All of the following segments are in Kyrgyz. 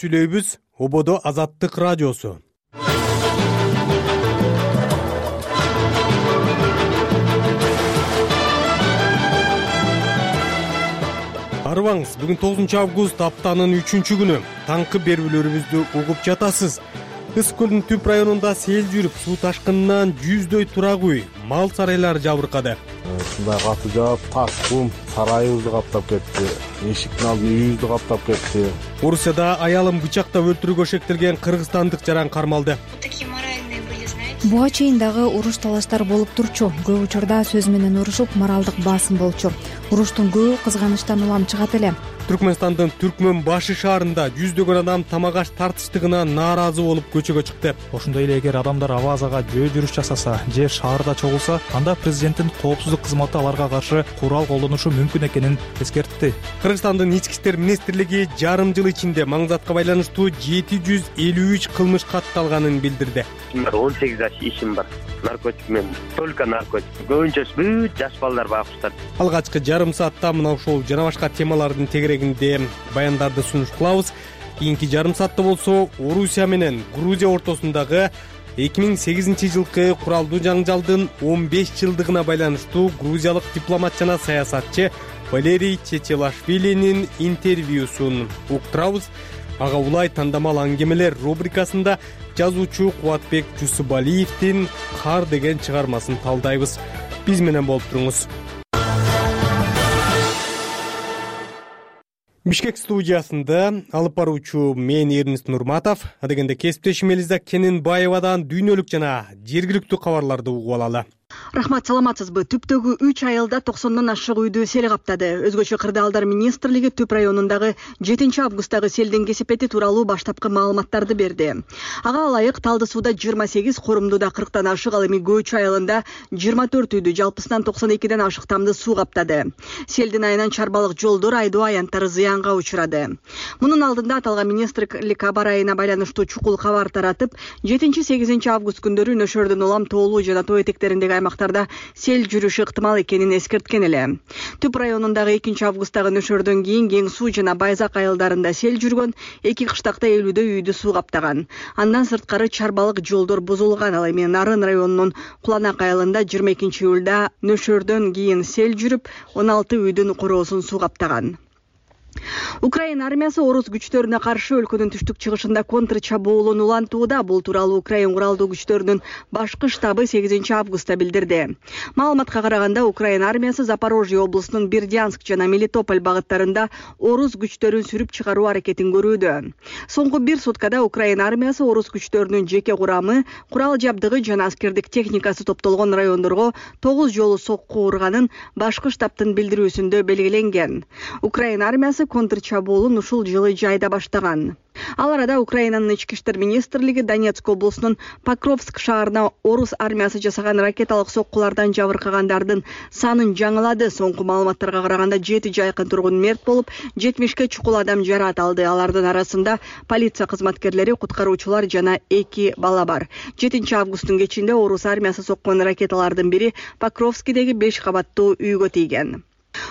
Сүйлөйбүз Ободо Азаттык радиосу. Арыбаңыз, бүгүн 9 август аптанын 3-күнү. Таңкы берүүлөрүбүздү угуп жатасыз. Ыс көлдүн түп районунда сел жүрүп, суу ташкынынан жүздөй турак үй, мал сарайлар жабыркады. Ушундай каты жаап, таш кум сарайыбызды каптап кетти. Эшиктин алдын үйүбүздү каптап кетти. Орусияда аялын бычактап өлтүрүүгө шектелген кыргызстандык жаран кармалды. Буга чейин дагы уруш талаштар болуп турчу. Көп учурда сөз менен урушуп, моралдык басым болчу. Уруштун көбү кызганычтан улам чыгат эле. Түркмөнстандын Түркмөн башы шаарында жүздөгөн адам тамак аш тартыштыгына нааразы болуп көчөгө чыкты. Ошондой эле эгер адамдар абазага жөө жүрүш жасаса же шаарда чогулса, анда президенттин коопсуздук кызматы аларга каршы курал колдонушу мүмкүн экенин эскертти. Кыргызстандын ички иштер министрлиги жарым жыл ичинде маңзатка байланыштуу 753 кылмыш катталганын билдирди. 18 жаш ишим бар. Наркотик менен, только наркотик. Көбүнчөсү бүт жаш балдар багыштар. Алгачкы жарым саатта мына ушул жана башка темалардын тегерегинде баяндарды сунуш кылабыз. Кийинки жарым саатта болсо Орусия менен Грузия ортосундагы 2008 жылкы куралдуу жаңжалдын 15 жылдыгына байланыштуу грузиялык дипломат жана саясатчы Валерий Чечелашвилинин интервьюсун уктурабыз. Ага улай тандамал аңгемелер рубрикасында жазуучу Кубатбек Жусубалиевдин «Кар» деген чыгармасын талдайбыз. Биз менен болуп туруңуз. Бишкек студиясында алып баруучу мен Эрнест Нурматов, адегенде кесиптешим Элиза Кененбаевадан дүйнөлүк жана жергиликтүү кабарларды угуп алалы. Рахмат, саламатсызбы? Түптөгү 3 айылда 90дон ашык үйдү сел каптады. Өзгөчө кырдаалдар министрлиги Түп районундагы 7 августтагы селдин кесепети тууралуу баштапкы маалыматтарды берди. Ага ылайык Талды сууда 28, Корумдуда 40тан ашык, ал эми Көчү айылында 24 үйдү, жалпысынан 92ден ашык тамды суу каптады. Селдин айынан чарбалык жолдор, айдоо аянттары зыянга учурады. Мунун алдында аталган министрлик аба айына байланыштуу чукул кабар таратып, 7-8 август күндөрү Нөшөрдүн улам тоолуу жана тоо этектериндеги аймактарда сел жүрүшү ыктымал экенин эскерткен эле. Түп районундагы 2 августтагы нөшөрдөн кийин Кең суу жана Байзак айылдарында сел жүргөн, 2 кыштакта 50дөй үйдү суу каптаган. Андан сырткары чарбалык жолдор бузулган. Ал эми Нарын районунун Куланак айылында 22 июлда нөшөрдөн кийин сел жүрүп, 16 үйдүн короосун суу каптаган. Украина армиясы орус күчтөрүнө каршы өлкөнүн түштүк-чыгышында контр чабуулун улантууда. Бул тууралуу Украина куралдуу күчтөрүнүн башкы штабы 8 августта билдирди. Маалыматка караганда, Украина армиясы Запорожье облусунун Бердянск жана Мелитополь багыттарында орус күчтөрүн сүрүп чыгаруу аракетин көрүүдө. Соңку 1 суткада Украина армиясы орус күчтөрүнүн жеке курамы, курал жабдыгы жана аскердик техникасы топтолгон райондорго 9 жолу сокку урганын башкы штабтын билдирүүсүндө белгиленген. Украина армиясы контр чабуулун ушул жылы жайда баштаган. Ал арада Украинанын ички иштер министрлиги Донецк облусунун Покровск шаарына орус армиясы жасаган ракеталык соккулардан жабыркагандардын санын жаңылады. Соңку маалыматтарга караганда 7 жайкын тургун мерт болуп, 70ке чукул адам жараат алды. Алардын арасында полиция кызматкерлери, куткаруучулар жана 2 бала бар. 7 августтун кечинде орус армиясы соккон ракеталардын бири Покровскидеги 5 кабаттуу үйгө тийген.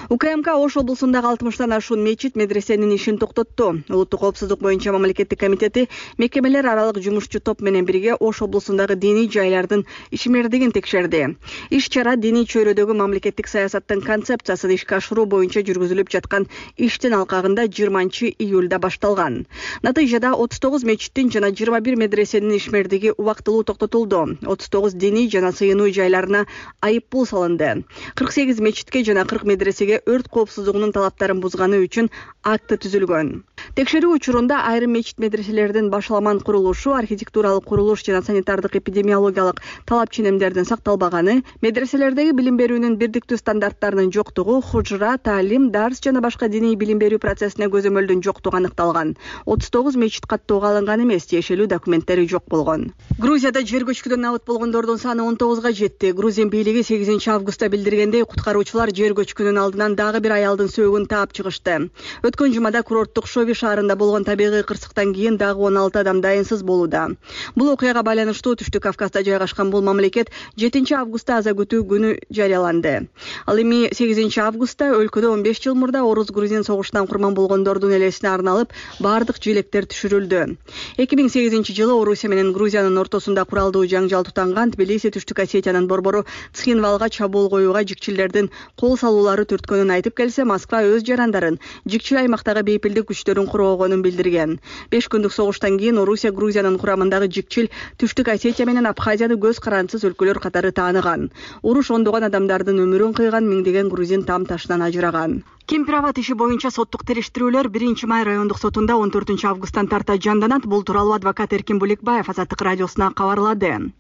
УКМК Ош облусундагы 60тан ашуун мечит, медресенин ишин токтотту. Улуттук коопсуздук боюнча мамлекеттик комитети мекемелер аралык жумушчу топ менен бирге Ош облусундагы диний жайлардын ишмердигин текшерди. Иш-чара диний чөйрөдөгү мамлекеттик саясаттын концепциясын ишке ашыруу боюнча жүргүзүлүп жаткан иштин алкагында 20 июлда башталган. Натыйжада 39 мечиттин жана 21 медресенин ишмердиги убактылуу токтотулду. 39 диний жана сыйынуу жайларына айып пул салынды. 48 мечитке жана 40 медресеге өрт коопсуздугунун талаптарын бузганы үчүн акты түзүлгөн. Текшерүү учурунда айрым мечит медреселердин башаламан курулушу, архитектуралык курулуш жана санитардык эпидемиологиялык талап ченемдердин сакталбаганы, медреселердеги билим берүүнүн бирдиктүү стандарттарынын жоктугу, хужра, таалим, дарс жана башка диний билим берүү процессине көзөмөлдүн жоктугу аныкталган. 39 мечит каттоого алынган эмес, тиешелүү документтери жок болгон. Грузияда жер көчкүдөн абыт болгондордун саны 19га жетти. Грузин бийлиги 8 августта билдиргендей, куткаруучулар жер көчкүнүн алдынан дагы бир аялдын сөөгүн таап чыгышты. Өткөн жумада курорттук Шови шаарында болгон табигый кырсыктан кийин дагы 16 адам дайынсыз болууда. Бул окуяга байланыштуу Түштүк Кавказда жайгашкан бул мамлекет 7 августта аза күтүү күнү жарыяланды. Ал эми 8 августта өлкөдө 15 жыл мурда орус-грузин согушунан курман болгондордун элесине арналып бардык желектер түшүрүлдү. 2008 жылы Орусия менен Грузиянын ортосунда куралдуу жаңжал тутанган Тбилиси Түштүк Осетиянын борбору Цхинвалга чабуул коюуга жикчилердин кол салуулары түрткөнүн айтып келсе, Москва өз жарандарын жикчил аймактагы бейпилдик күчтөрүн коргогонун билдирген. 5 күндүк согуштан кийин Орусия Грузиянын курамындагы жикчил Түштүк Осетия менен Абхазияны көз карансыз өлкөлөр катары тааныган. Уруш ондогон адамдардын өмүрүн кыйган, миңдеген грузин там ташынан ажыраган. Кемпир-Аба иши боюнча соттук териштирүүлөр 1 май райондук сотунда 14 августтан тарта жанданат. Бул тууралуу адвокат Эркин Буликбаев Азаттык радиосуна кабарлады.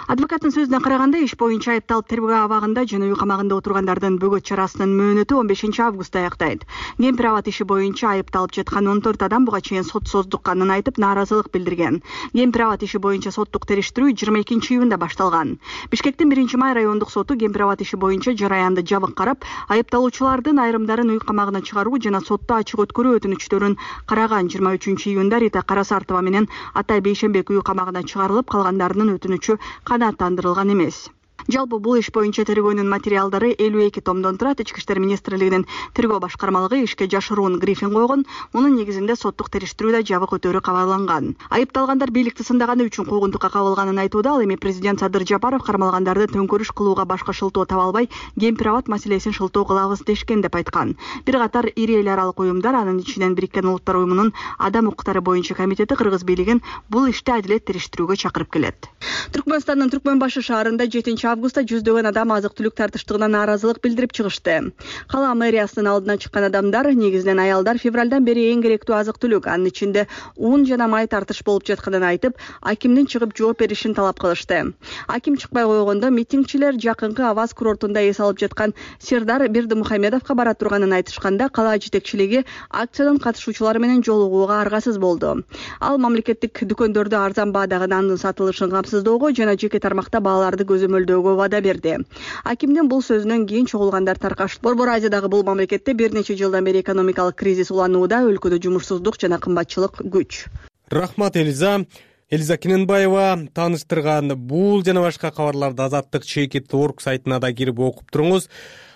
Адвокаттын сөзүнө караганда, иш боюнча айыпталып тергөө абагында жана үй камагында отургандардын бөгөт чарасынын мөөнөтү 15 августта аяктайт. Кемпир-Аба иши боюнча айыпталып жаткан 14 адам буга чейин сот создукканын айтып нааразылык билдирген. Кемпир-Аба иши боюнча соттук териштирүү 22 июнда башталган. Бишкектин 1 май райондук соту Кемпир-Аба иши боюнча жараянды жабык карап, айыпталуучулардын айрымдарын үй камагына чыгаруу жана сотто ачык өткөрүү өтүнүчтөрүн караган. 23 июнда Рита Карасартова менен Атай Бейшенбек үй камагына чыгарылып, калгандарынын өтүнүчү канааттандырылган эмес. Жалпы бул иш боюнча тергөөнүн материалдары 52 томдон турат. Ички иштер министрлигинин тергөө башкармалыгы ишке жашыруун брифинг койгон. Мунун негизинде соттук териштирүүдө жабык өтөрү кабарланган. Айыпталгандар бийликти сындаганы үчүн куугунтукка кабылганын айтууда. Ал эми президент Садыр Жапаров кармалгандарды төңкөрүш кылууга башка шылтоо таба албай, Кемпир-Аба маселесин шылтоо кылабыз дешкен деп айткан. Бир катар ири эл аралык уюмдар, анын ичинен Бириккен Улуттар уюмунун адам укуктары боюнча комитети кыргыз бийлигин бул ишти адилет териштирүүгө чакырып келет. Түркмөнстандын Түркмөнбашы шаарында 7 августта жүздөгөн адам азык-түлүк тартыштыгына нааразылык билдирип чыгышты. Кала мэриясынын алдына чыккан адамдар, негизинен аялдар, февралдан бери эң керектүү азык-түлүк, анын ичинде ун жана май тартыш болуп жатканын айтып, акимдин чыгып жооп беришин талап кылышты. Аким чыкпай койгондо митингчилер жакынкы Аваз курортунда эс алып жаткан Сердар Бердимухамедовго бара турганын айтышканда, кала жетекчилиги акциянын катышуучулары менен жолугууга аргасыз болду. Ал мамлекеттик дүкөндөрдө арзан баадагы нандын сатылышын камсыздоого жана жеке тармакта бааларды көзөмөлдөөгө вада берди. Акимдин бул сөзүнөн кийин чогулгандар таркашты. Борбор Азиядагы бул мамлекетте бир нече жылдан бери экономикалык кризис уланууда, өлкөдө жумушсуздук жана кымбатчылык күч. Рахмат Элиза Кененбаева тааныштырган бул жана башка кабарларды Азаттык @org сайтына да кирип окуп туруңуз.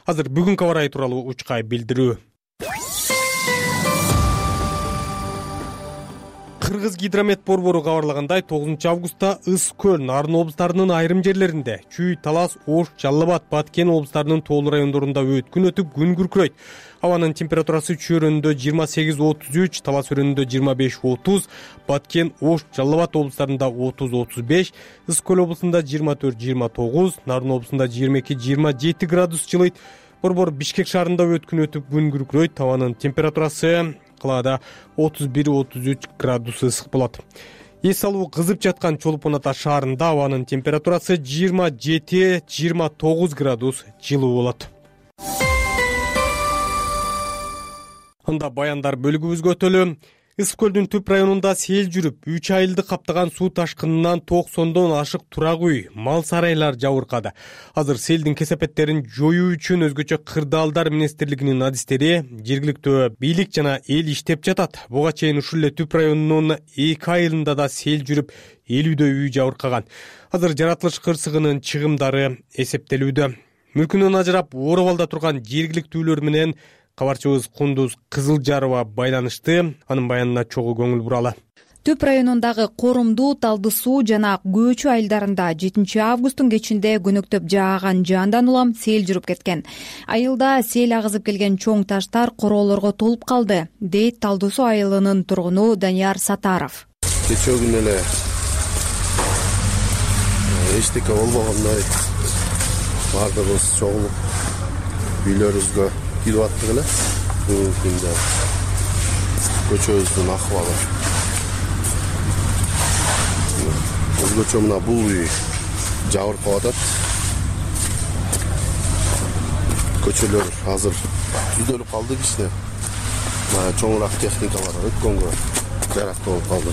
Азыр бүгүнкү аба ырайы тууралуу учкай билдирүү. Кыргыз гидромет борбору кабарлагандай, 9 августта Ыс Көл, Нарын облустарынын айрым жерлеринде, Чүй, Талас, Ош, Жалал Абад, Баткен облустарынын тоолуу райондорунда өткүн өтүп күн күркүрөйт. Абанын температурасы Чүй өрөөнүндө 28-33, Талас өрөөнүндө 25-30, Баткен, Ош, Жалал Абад облустарында 30-35, Ыс Көл облусунда 24-29, Нарын облусунда 22-27 градус жылыйт. Борбор Бишкек шаарында өткүн өтүп күн күркүрөйт. Абанын температурасы калаада 31-33 градус ысык болот. Эс алуу кызып жаткан Чолпон Ата шаарында абанын температурасы 27-29 градус жылуу болот. Анда баяндар бөлүгүбүзгө өтөлү. Ыс Көлдүн түп районунда сел жүрүп, 3 айылды каптаган суу ташкынынан 90дон ашык турак үй, мал сарайлар жабыркады. Азыр селдин кесепеттерин жоюу үчүн өзгөчө кырдаалдар министрлигинин адистери, жергиликтүү бийлик жана эл иштеп жатат. Буга чейин ушул эле түп районунун 2 айылында да сел жүрүп, 50дөй үй жабыркаган. Азыр жаратылыш кырсыгынын чыгымдары эсептелүүдө. Мүлкүнөн ажырап, Оробалда турган жергиликтүүлөр менен кабарчыбыз Кундуз Кызылжарова байланышты. Анын баянына чогуу көңүл буралы. Түп районундагы Корумду, Талды суу жана Көөчү айылдарында 7 августтун кечинде көнөктөп жааган жаандан улам сел жүрүп кеткен. Айылда сел агызып келген чоң таштар короолорго толуп калды, дейт Талды суу айылынын тургуну Данияр Сатаров. Кечээ күнү эле эчтеке болбогондой баардыгыбыз чогулуп үйлөрүбүзгө кирип аттык эле. Бүгүнкү күндө көчөбүздүн акыбалы өзгөчө мына бул үй жабыркап атат. Көчөлөр азыр түздөлүп калды кичине. Чоңураак техникалар өткөнгө жарактуу болуп калды.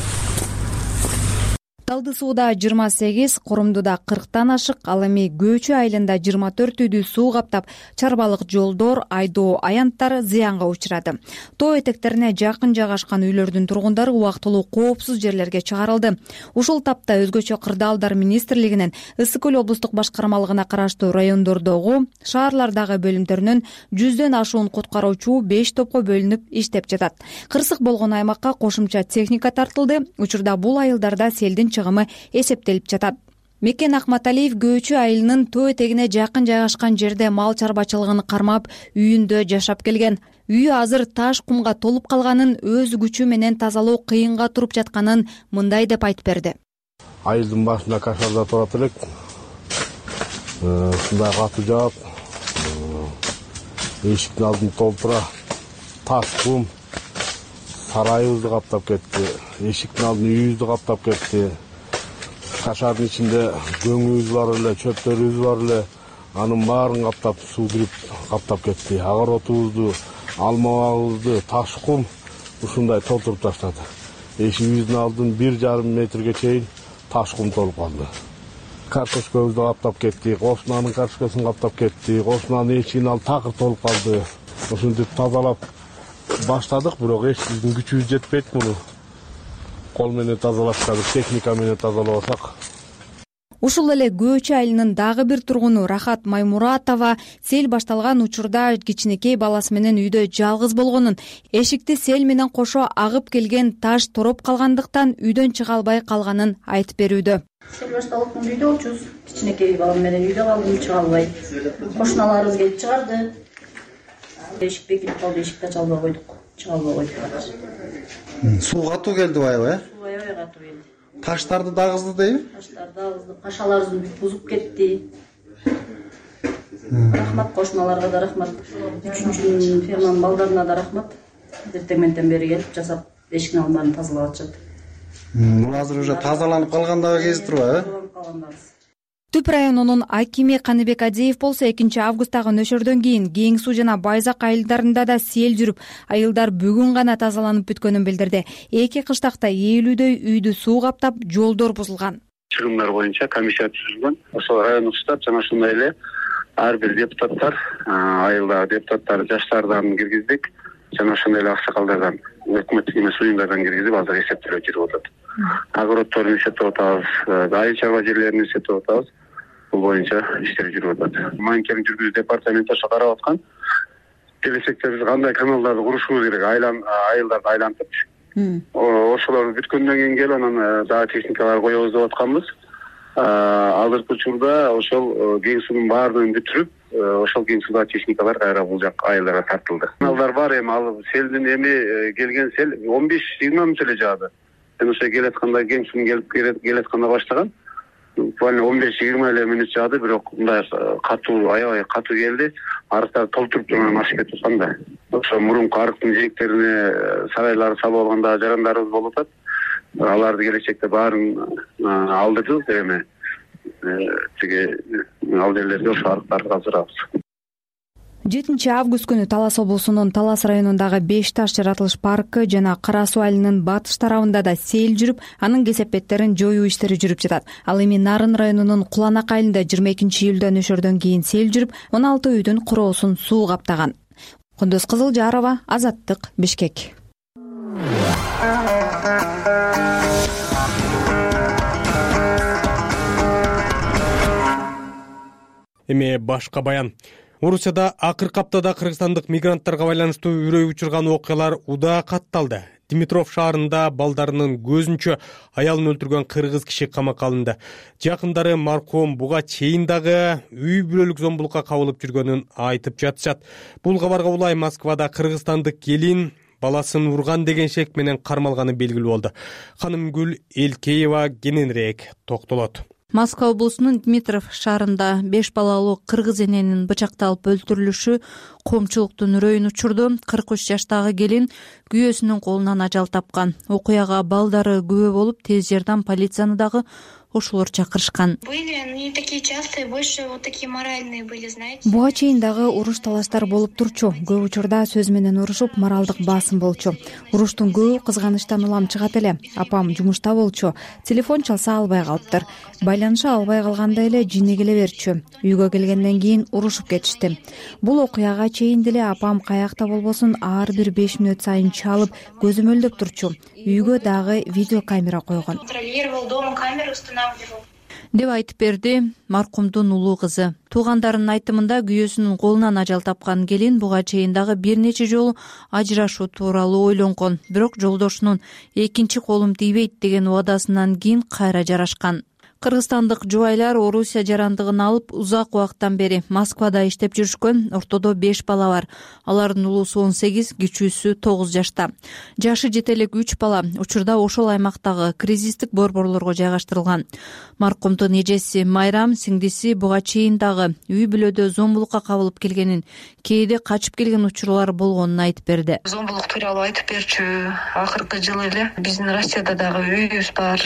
Талды сууда 28, Курумдуда 40тан ашык, ал эми Көөчү айылында 24 үйдү суу каптап, чарбалык жолдор, айдоо аянттары зыянга учурады. Тоо этектерине жакын жайгашкан үйлөрдүн тургундары убактылуу коопсуз жерлерге чыгарылды. Ушул тапта өзгөчө кырдаалдар министрлигинин Ысык көл облустук башкармалыгына караштуу райондордогу, шаарлардагы бөлүмдөрүнөн 100дөн ашуун куткаруучу 5 топко бөлүнүп иштеп жатат. Кырсык болгон аймакка кошумча техника тартылды. Учурда бул айылдарда селдин чыгымы эсептелип жатат. Мекен Акматалиев Көөчү айылынын тоо этегине жакын жайгашкан жерде мал чарбачылыгын кармап, үйүндө жашап келген. Үйү азыр таш кумга толуп калганын, өз күчү менен тазалоо кыйынга туруп жатканын мындай деп айтып берди. Айылдын башында кашарда турат элек. Ушундай катуу жаап, эшиктин алдын толтура таш кум сарайыбызды каптап кетти. Эшиктин алдын үйүбүздү каптап кетти. Кашардын ичинде көңүбүз бар эле, чөптөрүбүз бар эле. Анын баарын каптап, суу кирип каптап кетти. Огородубузду, алма багыбызды, таш кум ушундай толтуруп таштады. Эшигибиздин алдын 1,5 метрге чейин таш кум толуп калды. Картошкабызды каптап кетти, кошунанын картошкасын каптап кетти, кошунанын эшигинин алды такыр толуп калды. Ушинтип тазалап баштадык, бирок эч биздин күчүбүз жетпейт муну. Кол менен тазалашка, техника менен тазалабасак. Ушул эле Көөчү айылынын дагы бир тургуну Рахат Маймуратова сел башталган учурда кичинекей баласы менен үйдө жалгыз болгонун, эшикти сел менен кошо агып келген таш тороп калгандыктан үйдөн чыга албай калганын айтып берүүдө. Сел башталып үйдө болчубуз. Кичинекей балам менен үйдө калдым, чыга албай. Кошуналарыбыз келип чыгарды. Эшик бекинип калды, эшикти ача албай койдук. Чыга албай койдук. Суу катуу келди аябай, Суу аябай катуу келди. Таштарды дагызды дейби? Таштарды дагызды, кашаларыбызды бузуп кетти. Рахмат кошуналарга да рахмат. 3-чү ферманын балдарына да рахмат. Эртең менден бери келип жасап, эшиктин алдын тазалап атышат. Бул азыр уже тазаланып калгандагы кези турбайбы? Тазаланып калгандагы. Түп районунун акими Каныбек Адеев болсо 2-августтагы нөшөрдөн кийин Кең суу жана Байзак айылдарында да сел жүрүп, айылдар бүгүн гана тазаланып бүткөнүн билдирди. Эки кыштакта ээлүүдөй үйдү суу каптап, жолдор бузулган. Чыгымдар боюнча комиссия түзүлгөн. Ошол райондук штаб жана ошондой эле ар бир депутаттар, айылдагы депутаттар жаштардан киргиздик жана ошондой эле аксакалдардан, өкмөттүк эмес уюмдардан киргизип азыр эсептелип жүрүп атат. Огороддорду эсептеп атабыз, айыл чарба жерлерин эсептеп атабыз. Бул боюнча иштер жүрүп атат. Мониторинг жүргүзүү департаменти ошо карап аткан. Келечекте биз кандай каналдарды курушубуз керек, айылдарды айлантып. Ошолор бүткөндөн кийин келип анан дагы техникалар коебуз деп атканбыз. Азыркы учурда ошол Кең суунун баардыгын бүтүрүп, ошол Кең сууда техникалар кайра бул жак айылдарга тартылды. Каналдар бар эми, ал селдин эми келген сел 15-20 мүнөт эле жаады. Ошо келатканда Кең суунун келатканда баштаган. Буквально 15-20 эле мүнөт жаады, бирок мындай катуу, аябай катуу келди. Арыктар толтуруп турган ашып кетип аткан да. Ошо мурунку арыктын жээктерине сарайлар салып алганда жарандарыбыз болуп атат. Аларды келечекте баарын алдырдык эми. Тиги ал жерлерге ошо арыктарды каздырабыз. 7-август күнү Талас облусунун Талас районундагы 5 таш жаратылыш паркы жана Кара суу айылынын батыш тарабында да сел жүрүп, анын кесепеттерин жоюу иштери жүрүп жатат. Ал эми Нарын районунун Куланак айылында 22-июлда нөшөрдөн кийин сел жүрүп, 16 үйдүн куроосун суу каптаган. Кундуз Кызылжарова, Азаттык, Бишкек. Эми башка баян. Орусияда акыркы аптада кыргызстандык мигранттарга байланыштуу үрөй учурган окуялар удаа катталды. Димитров шаарында балдарынын көзүнчө аялын өлтүргөн кыргыз киши камакка алынды. Жакындары маркум буга чейин дагы үй бүлөлүк зомбулукка кабылып жүргөнүн айтып жатышат. Бул кабарга улай Москвада кыргызстандык келин баласын урган деген шек менен кармалганы белгилүү болду. Ханымгүл Элкеева кененирээк токтолот. Москва облусунун Димитров шаарында 5 балалуу кыргыз эненин бычакталып өлтүрүлүшү коомчулуктун үрөйүн учурду. 43 жаштагы келин күйөөсүнүн колунан ажал тапкан. Окуяга балдары күбө болуп, тез жардам полицияны дагы ошолор чакырышкан. Были такие частые, больше вот такие моральные были, знаете. Буга чейин дагы уруш талаштар болуп турчу. Көп учурда сөз менен урушуп, моралдык басым болчу. Уруштун көбү кызганычтан улам чыгат эле. Апам жумушта болчу. Телефон чалса албай калыптыр. Байланыша албай калганда эле жине келе берчү. Үйгө келгенден кийин урушуп кетишти. Бул окуяга чейин деле апам каякта болбосун ар бир 5 мүнөт сайын чалып, көзөмөлдөп турчу. Үйгө дагы видеокамера койгон. Контролировал, дома камеру устанавливал. Деп айтып берди маркумдун улуу кызы. Туугандарынын айтымында күйөөсүнүн колунан ажал тапкан келин буга чейин дагы бир нече жолу ажырашуу тууралуу ойлонгон. Бирок жолдошунун экинчи колум тийбейт деген убадасынан кийин кайра жарашкан. Кыргызстандык жубайлар Орусия жарандыгын алып узак убакыттан бери Москвада иштеп жүрүшкөн. Ортодо 5 бала бар. Алардын улуусу 18, кичүүсү 9 жашта. Жашы жете элек 3 бала учурда ошол аймактагы кризистик борборлорго жайгаштырылган. Маркумдун эжеси Майрам сиңдиси буга чейин дагы үй бүлөдө зомбулукка кабылып келгенин, кээде качып келген учурлар болгонун айтып берди. Зомбулук тууралуу айтып берчү. Акыркы жылы эле биздин Россияда дагы үйүбүз бар.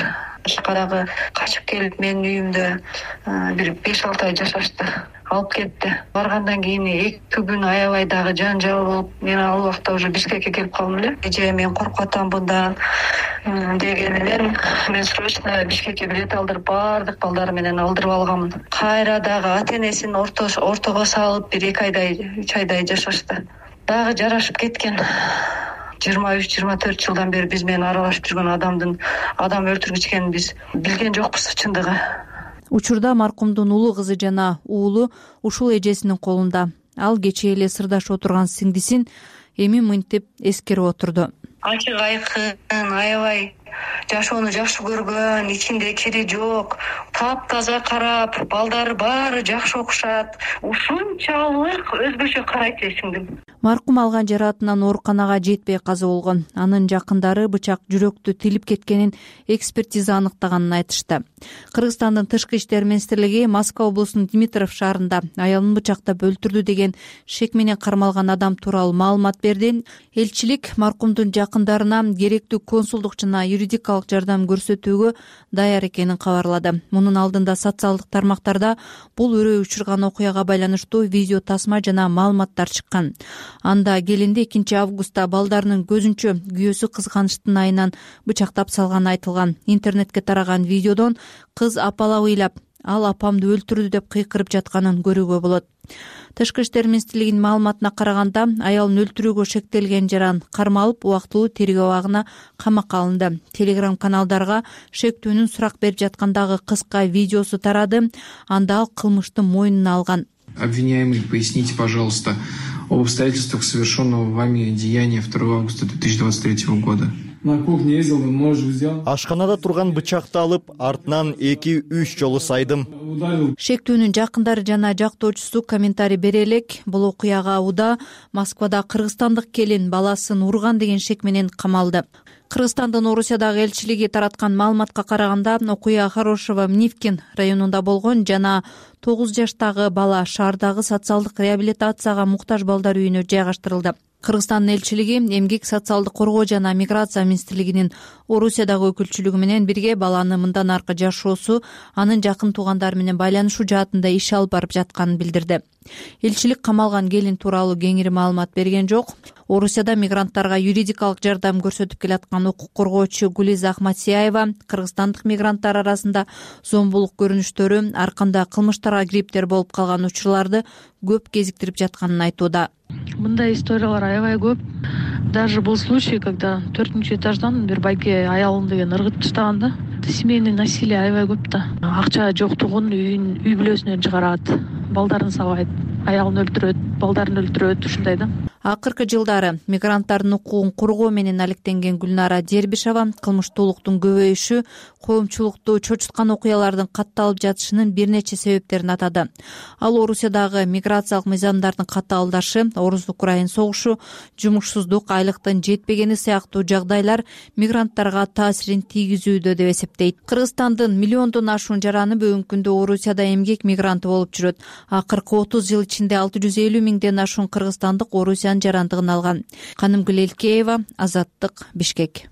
Шкарагы качып келип менин үйүмдө бир 5-6 ай жашашты. Алып кетти. Баргандан кийин 2 күн аябай дагы жанжал болуп, мен ал убакта уже Бишкекке келип калдым эле. Эже мен коркуп атам мындан деген менен мен срочно Бишкекке билет алдырып, баардык балдары менен алдырып алганмын. Кайра дагы ата-энесин ортого салып бир 2 айдай, 3 айдай жашашты. Дагы жарашып кеткен. 23-24 жылдан бери биз менен аралашып жүргөн адам өлтүргүч экенин биз билген жокпуз чындыгы. Учурда маркумдун улуу кызы жана уулу ушул эжесинин колунда. Ал кечээ эле сырдашып отурган сиңдисин эми мынтип эскерип отурду. Ачык айкын, аябай жашоону жакшы көргөн, ичинде кири жок, таптаза карап, балдары баары жакшы окушат. Ушунчалык өзгөчө карайт эле сиңдим. Маркум алган жараатынан ооруканага жетпей каза болгон. Анын жакындары бычак жүрөктү тилип кеткенин экспертиза аныктаганын айтышты. Кыргызстандын тышкы иштер министрлиги Москва облусунун Дмитров шаарында аялын бычактап өлтүрдү деген шек менен кармалган адам тууралуу маалымат берди. Элчилик маркумдун жакындарына керектүү консулдук жана юридикалык жардам көрсөтүүгө даяр экенин кабарлады. Мунун алдында социалдык тармактарда бул өрөө учурган окуяга байланыштуу видео тасма жана маалыматтар чыккан. Анда келинди 2 августта балдарынын көзүнчө күйөөсү кызганычтын айынан бычактап салганы айтылган. Интернетке тараган видеодон кыз апалап ыйлап, ал апамды өлтүрдү деп кыйкырып жатканын көрүүгө болот. Тышкы иштер министрлигинин маалыматына караганда, аялын өлтүрүүгө шектелген жаран кармалып, убактылуу тергөө абагына камакка алынды. Телеграм каналдарга шектүүнүн сурак берип жаткандагы кыска видеосу тарады. Анда ал кылмышты мойнуна алган. Обвиняемый, поясните, пожалуйста, об обстоятельствах совершенного вами деяния 2 августа 2023 года. На кухне ездил, нож взял. Ашканада турган бычакты алып, артынан 2-3 жолу сайдым. Шектүүнүн жакындары жана жактоочусу комментарий бере элек. Бул окуяга уда Москвада кыргызстандык келин баласын урган деген шек менен камалды. Кыргызстандын Орусиядагы элчилиги тараткан маалыматка караганда, окуя Хорошево Мнивкин районунда болгон жана 9 жаштагы бала шаардагы социалдык реабилитацияга муктаж балдар үйүнө жайгаштырылды. Кыргызстандын элчилиги Эмгек социалдык коргоо жана миграция министрлигинин Орусиядагы өкүлчүлүгү менен бирге баланы мындан аркы жашоосу, анын жакын туугандары менен байланышуу жаатында иш алып барып жатканын билдирди. Элчилик камалган келин тууралуу кеңири маалымат берген жок. Орусияда мигранттарга юридикалык жардам көрсөтүп келаткан укук коргоочу Гулиза Ахматсияева кыргызстандык мигранттар арасында зомбулук көрүнүштөрү, арканда кылмыштарга кириптер болуп калган учурларды көп кезиктирип жатканын айтууда. Мындай историялар аябай көп. Даже был случай, когда 4-нчү этаждан бир байке аялын деген ыргытып таштаган да. Семейный насилие аябай көп да. Акча жоктугун үй бүлөсүнөн чыгарат, балдарын сабайт, аялын өлтүрөт, балдарын өлтүрөт, ушундай да. Акыркы жылдары мигранттардын укугун коргоо менен алектенген Гүлнара Дербишева кылмыштуулуктун көбөйүшү, коомчулукту чочуткан окуялардын катталып жатышынын бир нече себептерин атады. Ал Орусиядагы миграциялык мыйзамдардын катталдашы, Орус-Украин согушу, жумушсуздук, айлыктын жетпегени сыяктуу жагдайлар мигранттарга таасирин тийгизүүдө деп эсептейт. Кыргызстандын миллиондон ашуун жараны бүгүнкү күндө Орусияда эмгек мигранты болуп жүрөт. Акыркы 30 жыл ичинде 650 миңден ашуун кыргызстандык Орусиянын жарандыгын алган. Канымгүл Элкеева, Азаттык, Бишкек.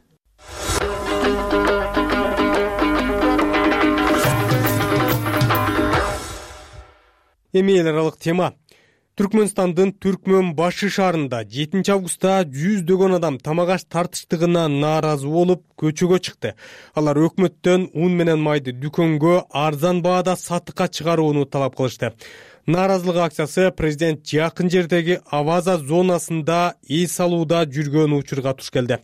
Эми эл аралык тема. Түркмөнстандын Түркмөн башы шаарында 7 августта жүздөгөн адам тамак аш тартыштыгына нааразы болуп көчөгө чыкты. Алар өкмөттөн ун менен майды дүкөнгө арзан баада сатыкка чыгарууну талап кылышты. Нааразылык акциясы президент жакын жердеги Аваза зонасында эс алууда жүргөн учурга туш келди.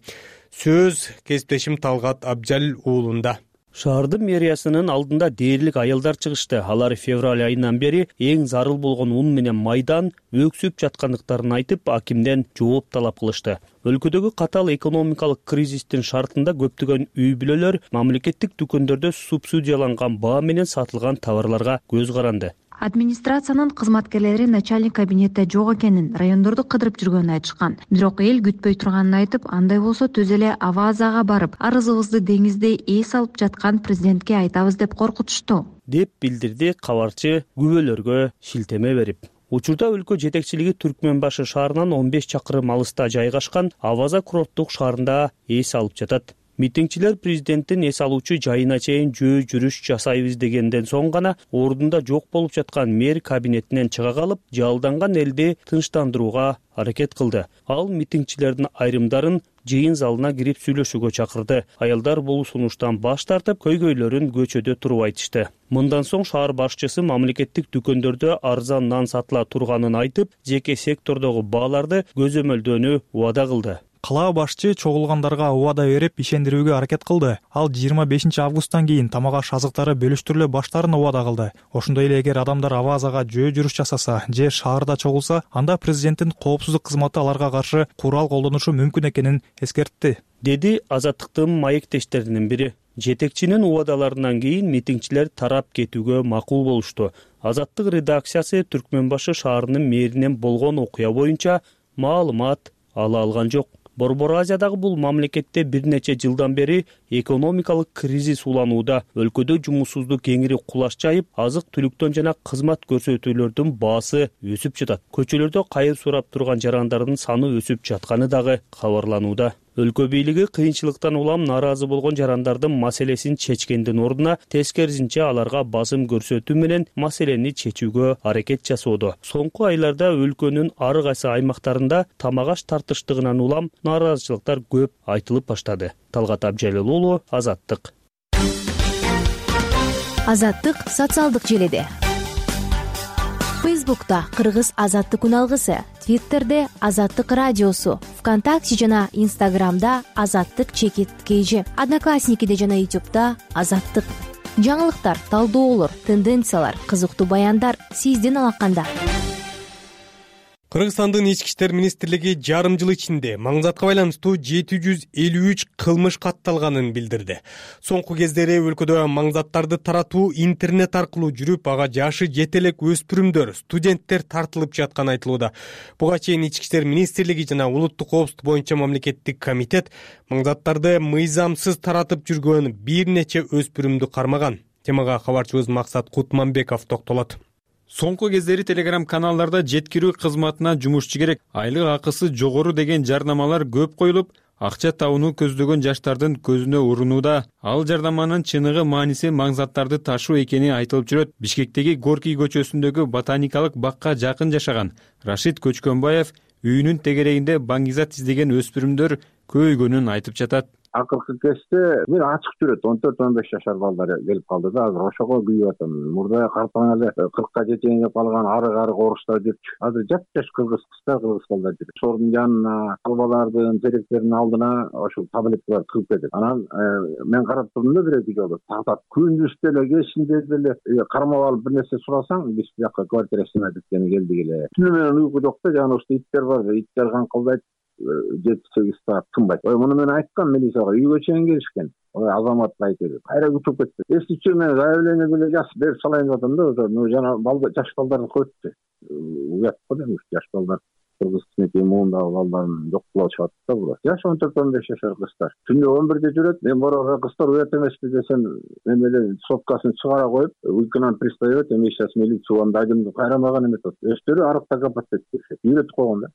Сөз кесиптешим Талгат Абжалил уулунда. Шаардын мэриясынын алдында дээрлик аялдар чыгышты. Алар февраль айынан бери эң зарыл болгон ун менен майдан өксүп жаткандыктарын айтып, акимден жооп талап кылышты. Өлкөдөгү катаал экономикалык кризистин шартында көптөгөн үй бүлөлөр мамлекеттик дүкөндөрдө субсидияланган баа менен сатылган товарларга көз каранды. Администрациянын кызматкерлери начальник кабинетте жок экенин, райондорду кыдырып жүргөнүн айтышкан. Бирок эл күтпөй турганын айтып, андай болсо түз эле Авазага барып, арызыбызды деңизде эс алып жаткан президентке айтабыз деп коркутушту, деп билдирди кабарчы күбөлөргө шилтеме берип. Учурда өлкө жетекчилиги Түркмөн башы шаарынан 15 чакырым алыста жайгашкан Аваза курорттук шаарында эс алып жатат. Митингчилер президенттин эс алуучу жайына чейин жөө жүрүш жасайбыз дегенден соң гана ордунда жок болуп жаткан мэр кабинетинен чыга калып, жалданган элди тынчтандырууга аракет кылды. Ал митингчилердин айрымдарын жыйын залына кирип сүйлөшүүгө чакырды. Аялдар бул сунуштан баш тартып, көйгөйлөрүн көчөдө туруп айтышты. Мындан соң шаар башчысы мамлекеттик дүкөндөрдө арзан нан сатыла турганын айтып, жеке сектордогу бааларды көзөмөлдөөнү убада кылды. Калаа башчы чогулгандарга убада берип ишендирүүгө аракет кылды. Ал 25 августтан кийин тамак аш азыктары бөлүштүрүлө баштаарын убада кылды. Ошондой эле эгер адамдар Авазага жөө жүрүш жасаса же шаарда чогулса, анда президенттин коопсуздук кызматы аларга каршы курал колдонушу мүмкүн экенин эскертти, деди Азаттыктын маектештеринин бири. Жетекчинин убадаларынан кийин митингчилер тарап кетүүгө макул болушту. Азаттык редакциясы Түркмөн башы шаарынын мэринен болгон окуя боюнча маалымат ала алган жок. Борбор Азиядагы бул мамлекетте бир нече жылдан бери экономикалык кризис уланууда. Өлкөдө жумушсуздук кеңири кулаш жайып, азык-түлүктөн жана кызмат көрсөтүүлөрдүн баасы өсүп жатат. Көчөлөрдө кайыр сурап турган жарандардын саны өсүп жатканы дагы кабарланууда. Өлкө бийлиги кыйынчылыктан улам нааразы болгон жарандардын маселесин чечкендин ордуна тескерисинче аларга басым көрсөтүү менен маселени чечүүгө аракет жасоодо. Соңку айларда өлкөнүн ар кайсы аймактарында тамак аш тартыштыгынан улам нааразычылыктар көп айтылып баштады. Талгат Абжалил уулу, Азаттык. Азаттык социалдык желеде. Фейсбукта Кыргыз Азаттык үналгысы, Твиттерде Азаттык радиосу, ВКонтакте жана Инстаграмда Азаттык _KG, Одноклассникиде жана Ютубта Азаттык. Жаңылыктар, талдоолор, тенденциялар, кызыктуу баяндар сиздин алаканда. Кыргызстандын ички иштер министрлиги жарым жыл ичинде маңзатка байланыштуу 753 кылмыш катталганын билдирди. Соңку кездери өлкөдө маңзаттарды таратуу интернет аркылуу жүрүп, ага жашы жете элек өспүрүмдөр, студенттер тартылып жатканы айтылууда. Буга чейин ички иштер министрлиги жана улуттук коопсуздук боюнча мамлекеттик комитет маңзаттарды мыйзамсыз таратып жүргөн бир нече өспүрүмдү кармаган. Темага кабарчыбыз Максат Кутманбеков токтолот. Соңку кездери телеграм каналдарда жеткирүү кызматына жумушчу керек, айлык акысы жогору деген жарнамалар көп коюлуп, акча табууну көздөгөн жаштардын көзүнө урунууда. Ал жарнаманын чыныгы мааниси маңзаттарды ташуу экени айтылып жүрөт. Бишкектеги Горький көчөсүндөгү ботаникалык бакка жакын жашаган Рашид Көчкөнбаев үйүнүн тегерегинде баңгизат издеген өспүрүмдөр көйгөнүн айтып жатат. Акыркы кезде бир ачык жүрөт, 14-15 жашар балдар келип калды да, азыр ошого күйүп атам. Мурда картаңа эле 40ка жетейин деп калган арык орустар жүрчү. Азыр жап-жаш кыргыз кыздар, кыргыз балдар жүрөт. Ошонун жанына, балдардын теректеринин алдына ошол таблеткалар тыгып кетет. Анан мен карап турдум да бир-эки жолу. Тартат. Күндүз деле, кечинде деле кармап алып бир нерсе сурасаң, биз бияка квартира сынат эткени келдик эле. Түнү менен уйку жок да, жана ушул иттер бар, иттер каңкылдайт. 7-8 саат тынбайт. Муну мен айткам милицияга, үйгө чейин келишкен. Азамат айтты. Кайра күтүп кетти. Эсичи мен заявление деле жазып берип салайын деп атам да, жана жаш балдарды коюпту. Уят го дейм, жаш балдар кыргыз кичинекей муундагы балдарын жок кылып чыгат да булар. Жаш 14-15 жашар кыздар. Түндө 11-де жүрөт. Мен бороо кыздар уят эмеспи десем, мен эле соткасын чыгара коюп, уйкунан пристаёт, эми сейчас милиция андайдымды кайрамаган эмес. Өздөрү арыкта капаттайт. Үйрөтүп койгон да.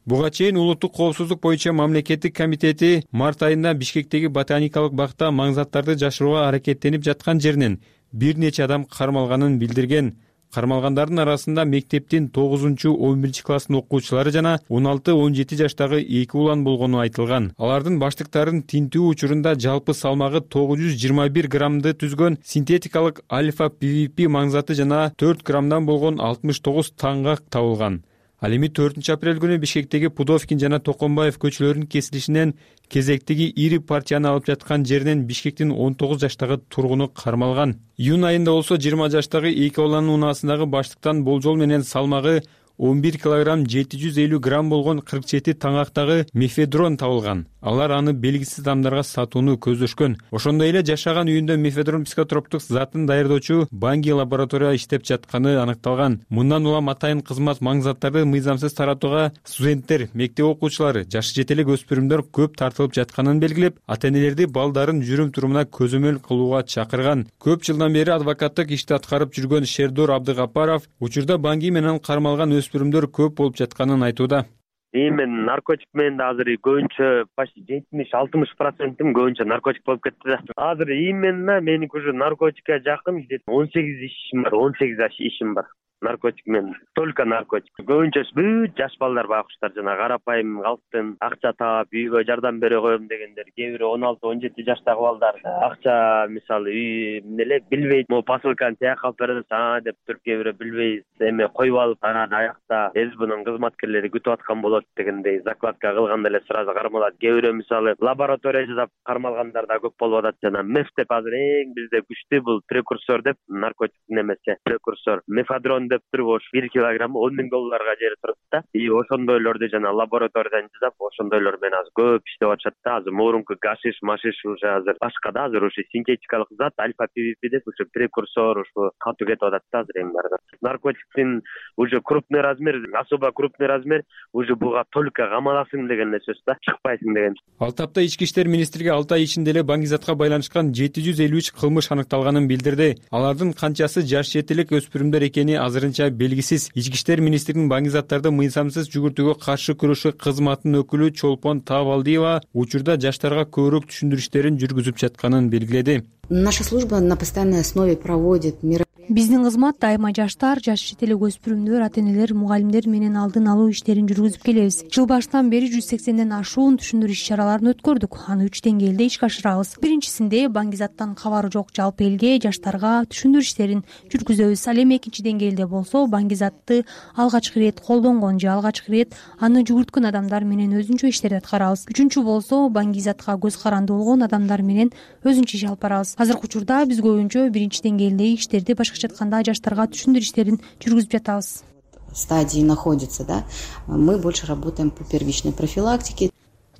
Буга чейин улуттук коопсуздук боюнча мамлекеттик комитети март айында Бишкектеги ботаникалык бакта маңзаттарды жашырууга аракеттенип жаткан жеринен бир нече адам кармалганын билдирген. Кармалгандардын арасында мектептин 9-11 класстын окуучулары жана 16-17 жаштагы 2 улан болгону айтылган. Алардын баштыктарын тинтүү учурунда жалпы салмагы 921 граммды түзгөн синтетикалык альфа PVP маңзаты жана 4 граммдан болгон 69 таңгак табылган. Ал эми 4-апрель күнү Бишкектеги Пудовкин жана Токомбаев көчөлөрүнүн кесилишинен кезектеги ири партияны алып жаткан жеринен Бишкектин 19 жаштагы тургуну кармалган. Июнь айында болсо 20 жаштагы 2 баланын унаасындагы баштыктан болжол менен салмагы 11 килограмм 750 грамм болгон 47 таңактагы мефедрон табылган. Алар аны белгисиз адамдарга сатууну көздөшкөн. Ошондой эле жашаган үйүндө мефедрон психотроптук затын даярдоочу Банги лаборатория иштеп жатканы аныкталган. Мындан улам атайын кызмат маңзаттарды мыйзамсыз таратууга студенттер, мектеп окуучулары, жашы жете элек өспүрүмдөр көп тартылып жатканын белгилеп, ата-энелерди балдарын жүрүм-турумуна көзөмөл кылууга чакырган. Көп жылдан бери адвокаттык ишти аткарып жүргөн Шердор Абдыгапаров учурда Банги менен кармалган өспүрүмдөр көп болуп жатканын айтууда. Мен наркотик менен азыр көбүнчө почти 70-60% көбүнчө наркотик болуп кетти да. Азыр именно менин уже наркотикке жакын 18 ишим бар, 18 ишим бар. Наркотик менен, только наркотик. Көбүнчө бүт жаш балдар байкуштар жана карапайым калктын акча таап үйгө жардам бере коем дегендер, кээ бири 16-17 жаштагы балдар акча мисалы үй эле билбейт, могу посылканы тияка алып беребиз деп туруп кээ бири билбей эме коюп алып анан аякта СБнын кызматкерлери күтүп аткан болот дегендей закладка кылганда эле сразу кармалат. Кээ бири мисалы лаборатория жасап кармалгандар да көп болуп атат жана меф деп азыр эң бизде күчтүү бул прекурсор деп наркотик немесе прекурсор мефадрон деп туруп ош 1 килограмм $10,000 жери турат да. Ошондойлорду жана лабораториядан жасап, ошондойлор менен азыр көп иштеп атышат да. Азыр мурунку гашиш, машиш уже азыр башка да, азыр ушу синтетикалык зат альфа PVP деп ушу прекурсор ушу катуу кетип атат да азыр эң баарында. Наркотиктин уже крупный размер, особо крупный размер уже буга только камаласың деген эле сөз да, чыкпайсың деген. Ал тапта Ички иштер министрлиги 6 ай ичинде эле Баңгизатка байланышкан 753 кылмыш аныкталганын билдирди. Алардын канчасы жаш жетелик өспүрүмдөр экени азырынча белгисиз. Ички иштер министринин Баңгизаттарды мыйзамсыз жүгүртүүгө каршы күрөшүү кызматынын өкүлү Чолпон Таабалдиева учурда жаштарга көбүрөөк түшүндүрүштөрүн жүргүзүп жатканын белгиледи. Наша служба на постоянной основе проводит мероприятия. Биздин кызмат дайыма жаштар, жаш жетелик өспүрүмдөр, ата-энелер, мугалимдер менен алдын алуу иштерин жүргүзүп келебиз. Жыл башынан бери 180ден ашуун түшүндүрүү иш-чараларын өткөрдүк. Аны 3 деңгээлде ишке ашырабыз. Биринчисинде Баңгизаттан кабары жок жалпы элге, жаштарга түшүндүрүү иштерин жүргүзөбүз. Ал эми экинчи деңгээлде болсо Баңгизатты алгачкы ирет колдонгон же алгачкы ирет аны жүгүрткөн адамдар менен өзүнчө иштерди аткарабыз. Үчүнчү болсо Баңгизатка көз каранды болгон адамдар менен өзүнчө иш алып барабыз. Азыркы учурда биз көбүнчө биринчи деңгээлдеги иштерди, башкача айтканда жаштарга түшүндүрүү иштерин жүргүзүп жатабыз. Стадии находится, да. Мы больше работаем по первичной профилактике.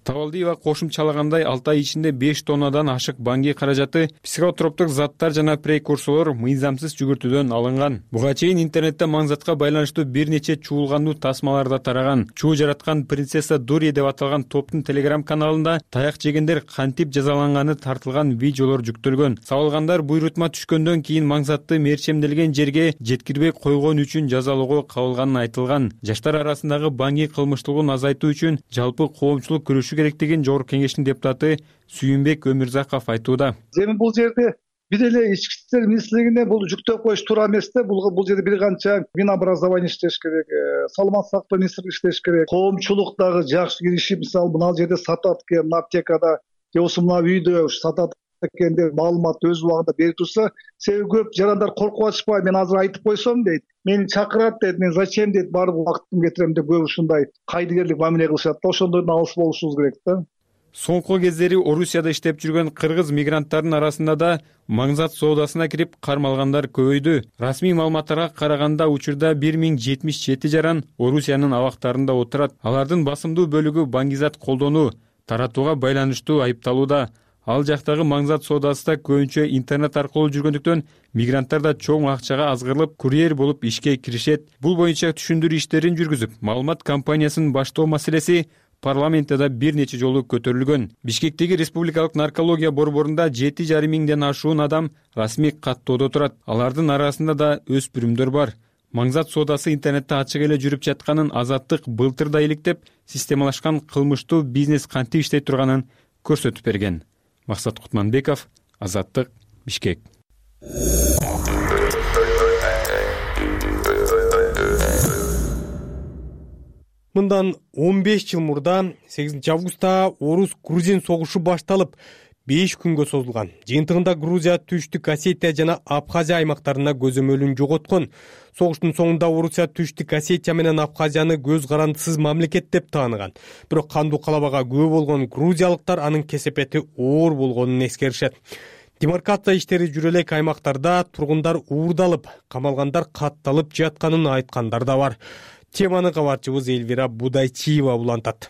Табалдиева кошумчалагандай 6 ай ичинде 5 тоннадан ашык Банги каражаты, психотроптук заттар жана прекурсорлор мыйзамсыз жүгүртүүдөн алынган. Буга чейин интернетте маңзатка байланыштуу бир нече чуулгандуу тасмалар да тараган. Чуу жараткан принцесса Дури деп аталган топтун телеграм каналында таяк жегендер кантип жазаланганы тартылган видеолор жүктөлгөн. Сабылгандар буйрутма түшкөндөн кийин маңзатты мерчемделген жерге жеткирбей койгон үчүн жазалоого кабылганы айтылган. Жаштар арасындагы Банги кылмыштуулугун азайтуу үчүн жалпы коомчулук күрөшүү керектигин Жогорку Кеңештин депутаты Сүйүнбек Өмүрзаков айтууда. Эми бул жерде бир эле ички иштер министрлигине бул жүктөп коюш туура эмес да. Бул жерде бир канча Минобразование иштеш керек, саламаттык сактоо министрлиги иштеш керек. Коомчулук дагы жакшы киришип, мисалы мына жерде сатат экен аптекада, же болбосо мына үйдө сатат экен деп маалымат өз убагында берип турса, себеби көп жарандар коркуп атышпайбы, мен азыр айтып койсом дейт, мени чакырат дейт, мен зачем дейт, барып убактымды кетирем деп көп ушундай кайдыгерлик мамиле кылышат да. Ошондордон алыс болушубуз керек да. Соңку кездери Орусияда иштеп жүргөн кыргыз мигранттардын арасында да маңзат соодасына кирип кармалгандар көбөйдү. Расмий маалыматтарга караганда учурда 1077 жаран Орусиянын абактарында отурат. Алардын басымдуу бөлүгү Баңгизат колдонуу, таратууга байланыштуу айыпталууда. Ал жактагы маңзат соодасы да көбүнчө интернет аркылуу жүргөндүктөн мигранттар да чоң акчага азгырылып курьер болуп ишке киришет. Бул боюнча түшүндүрүү иштерин жүргүзүп, маалымат кампаниясын баштоо маселеси парламентте да бир нече жолу көтөрүлгөн. Бишкектеги республикалык наркология борборунда 7,5 миңден ашуун адам расмий каттоодо турат. Алардын арасында да өспүрүмдөр бар. Маңзат соодасы интернетте ачык эле жүрүп жатканын Азаттык былтыр да иликтеп, системалашкан кылмыштуу бизнес кантип иштей турганын көрсөтүп берген. Максат Кутманбеков, Азаттык, Бишкек. Мындан 15 жыл мурда 8 августта орус-грузин согушу башталып 5 күнгө созулган. Жыйынтыгында Грузия Түштүк Осетия жана Абхазия аймактарына көзөмөлүн жоготкон. Согуштун соңунда Орусия Түштүк Осетия менен Абхазияны көз карандысыз мамлекет деп тааныган. Бирок кандуу калабага күбө болгон грузиялыктар анын кесепети оор болгонун эскеришет. Демаркация иштери жүрө элек аймактарда тургундар уурдалып, камалгандар катталып жатканын айткандар да бар. Теманы кабарчыбыз Эльвира Будайчиева улантат.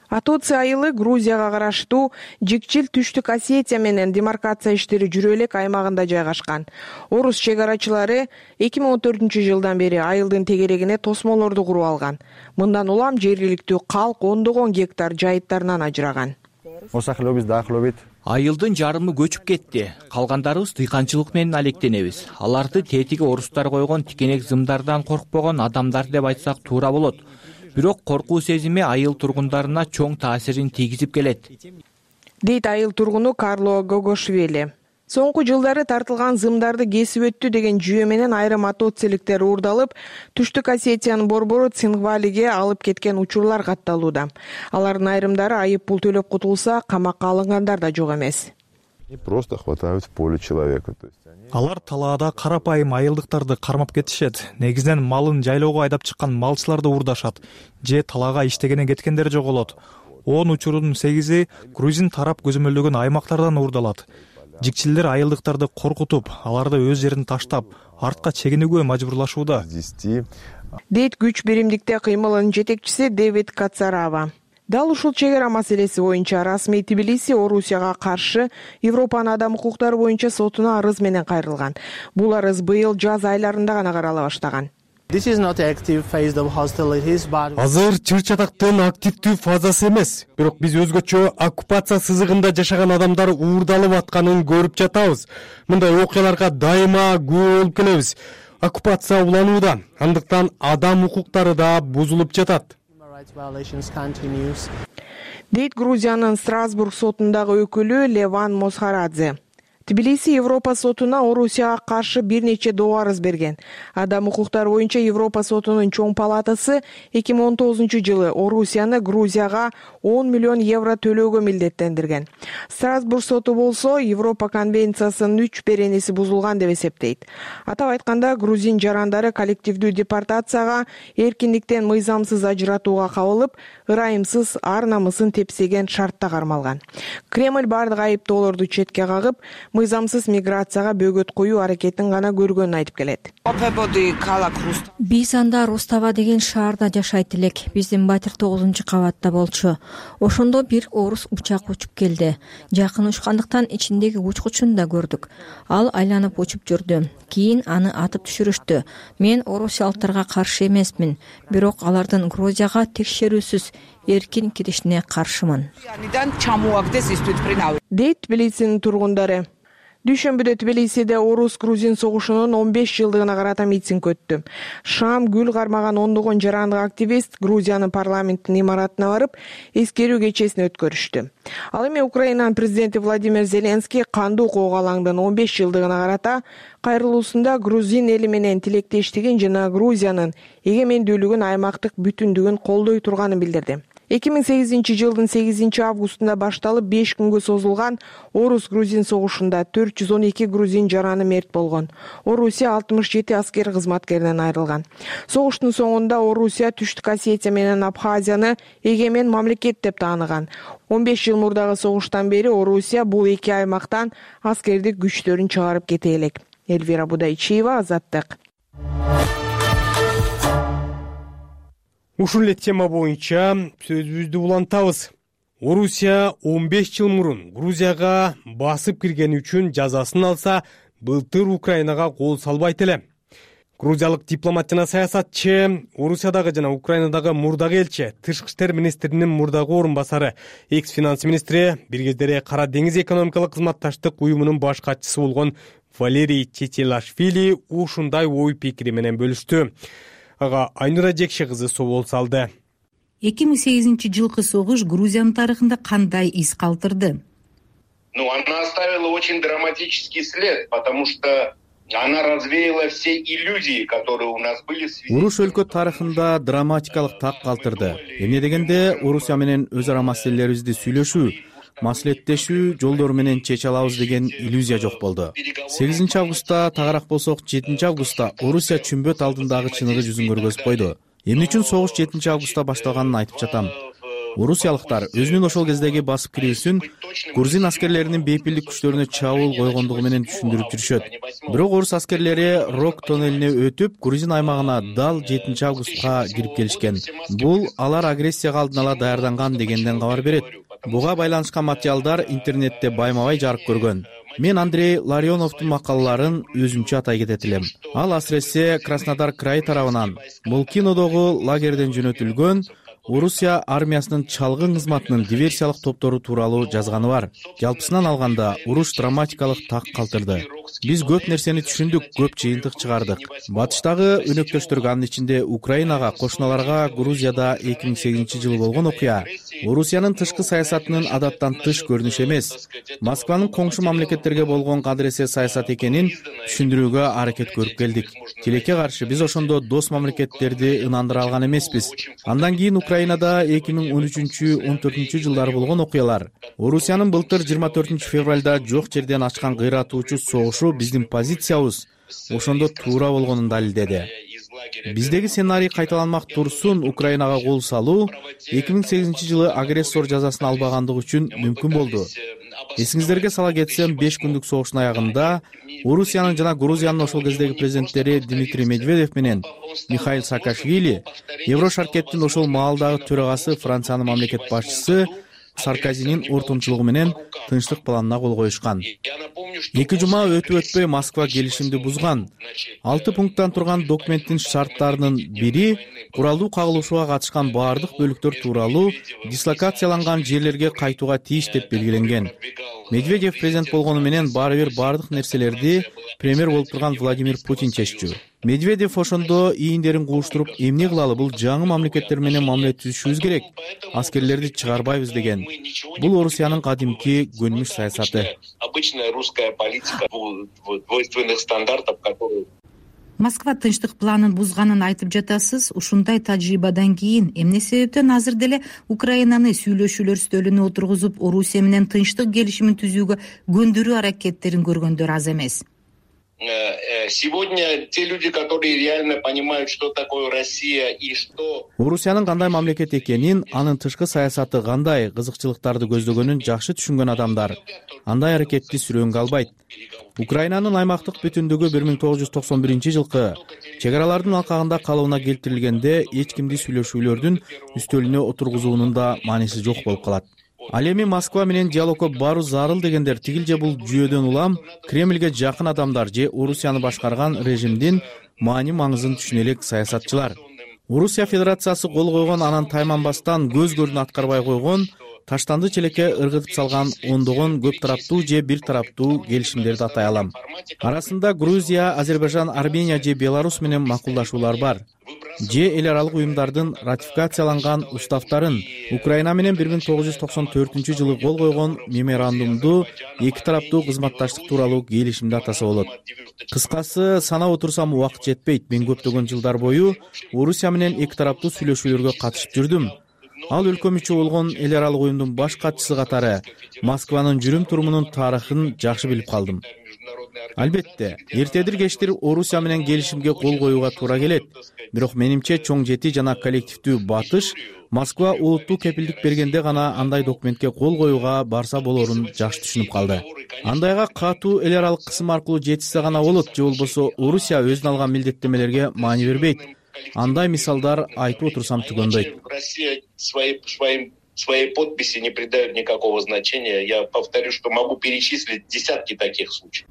Атоци айылы Грузияга караштуу Жикчил Түштүк Осетия менен демаркация иштери жүрө элек аймагында жайгашкан. Орус чек арачылары 2014-жылдан бери айылдын тегерегине тосмолорду куруп алган. Мындан улам жергиликтүү калк ондогон гектар жайыттарынан ажыраган. Айылдын жарымы көчүп кетти. Калгандарыбыз дыйканчылык менен алектенебиз. Аларды тетиги орустар койгон тикенек зымдардан коркпогон адамдар деп айтсак туура болот. Бирок коркуу сезими айыл тургундарына чоң таасирин тийгизип келет. Дейт айыл тургуну Карло Гогошвили. Соңку жылдары тартылган зымдарды кесип өттү деген жүйө менен айрым атоциликтер уурдалып, Түштүк Осетиянын борбору Цингвалиге алып кеткен учурлар катталууда. Алардын айрымдары айып пул төлөп кутулса, камакка алынгандар да жок эмес. Просто хватают в поле человека. Алар талаада карапайым айылдыктарды кармап кетишет. Негизинен малын жайлоого айдап чыккан малчыларды уурдашат. Же талаага иштегене кеткендер жоголот. 10 учурдун 8-и грузин тарап көзөмөлдөгөн аймактардан уурдалат. Жикчилдер айылдыктарды коркутуп, аларды өз жерин таштап, артка чегинүүгө мажбурлашууда. Дейт күч биримдикте кыймылынын жетекчиси Дэвид Кацарава. Дал ушул чек ара маселеси боюнча расмий Тбилиси Орусияга каршы Европанын адам укуктары боюнча сотуна арыз менен кайрылган. Бул арыз быйыл жаз айларында гана карала баштаган. Азыр чыр-чатактын активдүү фазасы эмес, бирок биз өзгөчө оккупация сызыгында жашаган адамдар уурдалып атканын көрүп жатабыз. Мындай окуяларга дайыма күбө болуп келебиз. Оккупация уланууда, андыктан адам укуктары да бузулуп жатат. Дейт Грузиянын Страсбург сотундагы өкүлү Леван Мосхарадзе. Тбилиси Европа сотуна Орусияга каршы бир нече доо арыз берген. Адам укуктары боюнча Европа сотунун чоң палатасы 2019-жылы Орусияны Грузияга 10 миллион евро төлөөгө милдеттендирген. Страсбург соту болсо Европа конвенциясынын 3 беренеси бузулган деп эсептейт. Атап айтканда, грузин жарандары коллективдүү депортацияга, эркиндиктен мыйзамсыз ажыратууга кабылып, ырайымсыз ар намысын тепсеген шартта кармалган. Кремль бардык айыптоолорду четке кагып, мыйзамсыз миграцияга бөгөт коюу аракетин гана көргөнүн айтып келет. Биз анда Рустава деген шаарда жашайт элек. Биздин батир 9-кабатта болчу. Ошондо бир орус учак учуп келди. Жакын учкандыктан ичиндеги учкучун да көрдүк. Ал айланып учуп жүрдү. Кийин аны атып түшүрүштү. Мен орусиялыктарга каршы эмесмин, бирок алардын Грузияга текшерүүсүз эркин киришине каршымын. Дейт Тбилисинин тургундары. Дүйшөмбүдө Тбилисиде орус-грузин согушунун 15 жылдыгына карата митинг өттү. Шам гүл кармаган ондогон жарандык активист Грузиянын парламенттин имаратына барып, эскерүү кечесин өткөрүштү. Ал эми Украинанын президенти Владимир Зеленский кандуу окууга алаңдын 15 жылдыгына карата кайрылуусунда грузин эли менен тилектештигин жана Грузиянын эгемендүүлүгүн, аймактык бүтүндүгүн колдой турганын билдирди. 2008-жылдын 8 августунда башталып 5 күнгө созулган орус-грузин согушунда 412 грузин жараны мерт болгон. Орусия 67 аскер кызматкеринен айрылган. Согуштун соңунда Орусия Түштүк Осетия менен Абхазияны эгемен мамлекет деп тааныган. 15 жыл мурдагы согуштан бери Орусия бул эки аймактан аскердик күчтөрүн чыгарып кете элек. Эльвира Будайчиева, Азаттык. Ушул эле тема боюнча сөзүбүздү улантабыз. Орусия 15 жыл мурун Грузияга басып киргени үчүн жазасын алса, былтыр Украинага кол салбайт эле. Грузиялык дипломат жана саясатчы, Орусиядагы жана Украинадагы мурдагы элчи, тышкы иштер министринин мурдагы орун басары, экс-финанс министри, бир кездери Кара деңиз экономикалык кызматташтык уюмунун баш катчысы болгон Валерий Четилашвили ушундай ой пикири менен бөлүштү. Ага Айнура Жекше кызы собол салды. 2008-жылкы согуш Грузиянын тарыхында кандай из калтырды? Она оставила очень драматический след, потому что Она развеяла все иллюзии, которые у нас были. Уруш өлкө тарыхында драматикалык так калтырды. Эмне дегенде Орусия менен өз ара маселелерибизди сүйлөшүү, маслихаттешүү жолдору менен чече алабыз деген иллюзия жок болду. 8 августта тагыраак болсок 7 августта Орусия чүмбөт алдындагы чыныгы жүзүн көргөзүп койду. Эмне үчүн согуш 7 августта башталганын айтып жатам. Орусиялыктар өзүнүн ошол кездеги басып кирүүсүн грузин аскерлеринин бейпилдик күчтөрүнө чабуул койгондугу менен түшүндүрүп жүрүшөт. Бирок орус аскерлери Рок тоннелине өтүп, грузин аймагына дал 7 августка кирип келишкен. Бул алар агрессияга алдын ала даярданган дегенден кабар берет. Буга байланышкан материалдар интернетте байма-бай жарык көргөн. Мен Андрей Ларионовдун макалаларын өзүмчө атай кетет элем. Ал асыресе Краснодар крайы тарабынан Молкинодогу лагерден жөнөтүлгөн Орусия армиясынын чалгын кызматынын диверсиялык топтору тууралуу жазганы бар. Жалпысынан алганда уруш драматикалык так калтырды. Биз көп нерсени түшүндүк, көп жыйынтык чыгардык. Батыштагы өнөктөштөргө, анын ичинде Украинага, кошуналарга Грузияда 2008-жылы болгон окуя Орусиянын тышкы саясатынын адаттан тыш көрүнүш эмес, Москванын коңшу мамлекеттерге болгон кадыресе саясат экенин түшүндүрүүгө аракет көрүп келдик. Тилекке каршы биз ошондо дос мамлекеттерди ынандыра алган эмеспиз. Андан кийин Украинада 2013-14 жылдары болгон окуялар, Орусиянын былтыр 24 февралда жок жерден ачкан кыйратуучу согушу биздин позициябыз ошондо туура болгонун далилдеди. Биздеги сценарий кайталанмак турсун Украинага кол салуу 2008-жылы агрессор жазасын албагандыгы үчүн мүмкүн болду. Эсиңиздерге сала кетсем, 5 күндүк согуштун аягында Орусиянын жана Грузиянын ошол кездеги президенттери Дмитрий Медведев менен Михаил Саакашвили, Еврошаркеттин ошол маалдагы төрагасы Франциянын мамлекет башчысы Саркозинин ортомчулугу менен тынчтык планына кол коюшкан. 2 жума өтүп-өтпөй Москва келишимди бузган. 6 пункттан турган документтин шарттарынын бири куралдуу кагылышууга катышкан баардык бөлүктөр тууралуу дислокацияланган жерлерге кайтууга тийиш деп белгиленген. Медведев президент болгону менен баары бир баардык нерселерди премьер болуп турган Владимир Путин чеччү. Медведев ошондо ийиндерин кууштуруп, эмне кылалы, бул жаңы мамлекеттер менен мамиле түзүшүбүз керек, аскерлерди чыгарбайбыз деген. Бул Орусиянын кадимки көнмүш саясаты. Обычная русская политика двойственных стандартов, которые Москва тынчтык планын бузганын айтып жатасыз. Ушундай тажрыйбадан кийин эмне себептен азыр деле Украинаны сүйлөшүүлөр стөлүнө отургузуп, Орусия менен тынчтык келишимин түзүүгө көндүрүү аракеттерин көргөндөр аз эмес? Сегодня те люди, которые реально понимают, что такое Россия и что Орусиянын кандай мамлекет экенин, анын тышкы саясаты кандай, кызыкчылыктарды көздөгөнүн жакшы түшүнгөн адамдар андай аракетти сүрөөнгө албайт. Украинанын аймактык бүтүндүгү 1991-жылкы чек аралардын алкагында калыбына келтирилгенде эч кимди сүйлөшүүлөрдүн үстөлүнө отургузуунун да мааниси жок болуп калат. Ал эми Москва менен диалогко баруу зарыл дегендер тигил же бул жүйөдөн улам Кремльге жакын адамдар же Орусияны башкарган режимдин маани-маңызын түшүнө элек саясатчылар. Орусия Федерациясы кол койгон, анан тайманбастан көз көрүн аткарбай койгон, таштанды челекке ыргытып салган ондогон көп тараптуу же бир тараптуу келишимдерди атай алам. Арасында Грузия, Азербайжан, Армения же Беларусь менен макулдашуулар бар. Же эл аралык уюмдардын ратификацияланган уставтарын, Украина менен 1994-жылы кол койгон меморандумду, эки тараптуу кызматташтык тууралуу келишимди атаса болот. Кыскасы, санап отурсам убакыт жетпейт. Мен көптөгөн жылдар бою Орусия менен эки тараптуу сүйлөшүүлөргө катышып жүрдүм. Ал өлкө мүчө болгон эл аралык уюмдун баш катчысы катары Москванын жүрүм-турумунун тарыхын жакшы билип калдым. Албетте, эртедир-кечтир Орусия менен келишимге кол коюуга туура келет. Бирок менимче чоң жети жана коллективдүү батыш Москва улуттуу кепилдик бергенде гана андай документке кол коюуга барса болорун жакшы түшүнүп калды. Андайга катуу эл аралык кысым аркылуу жетишсе гана болот, же болбосо Орусия өзүнө алган милдеттемелерге маани бербейт. Андай мисалдар айтып отурсам түгөндөйт. Россия своей подписи не придает никакого значения. Я повторю, что могу перечислить десятки таких случаев.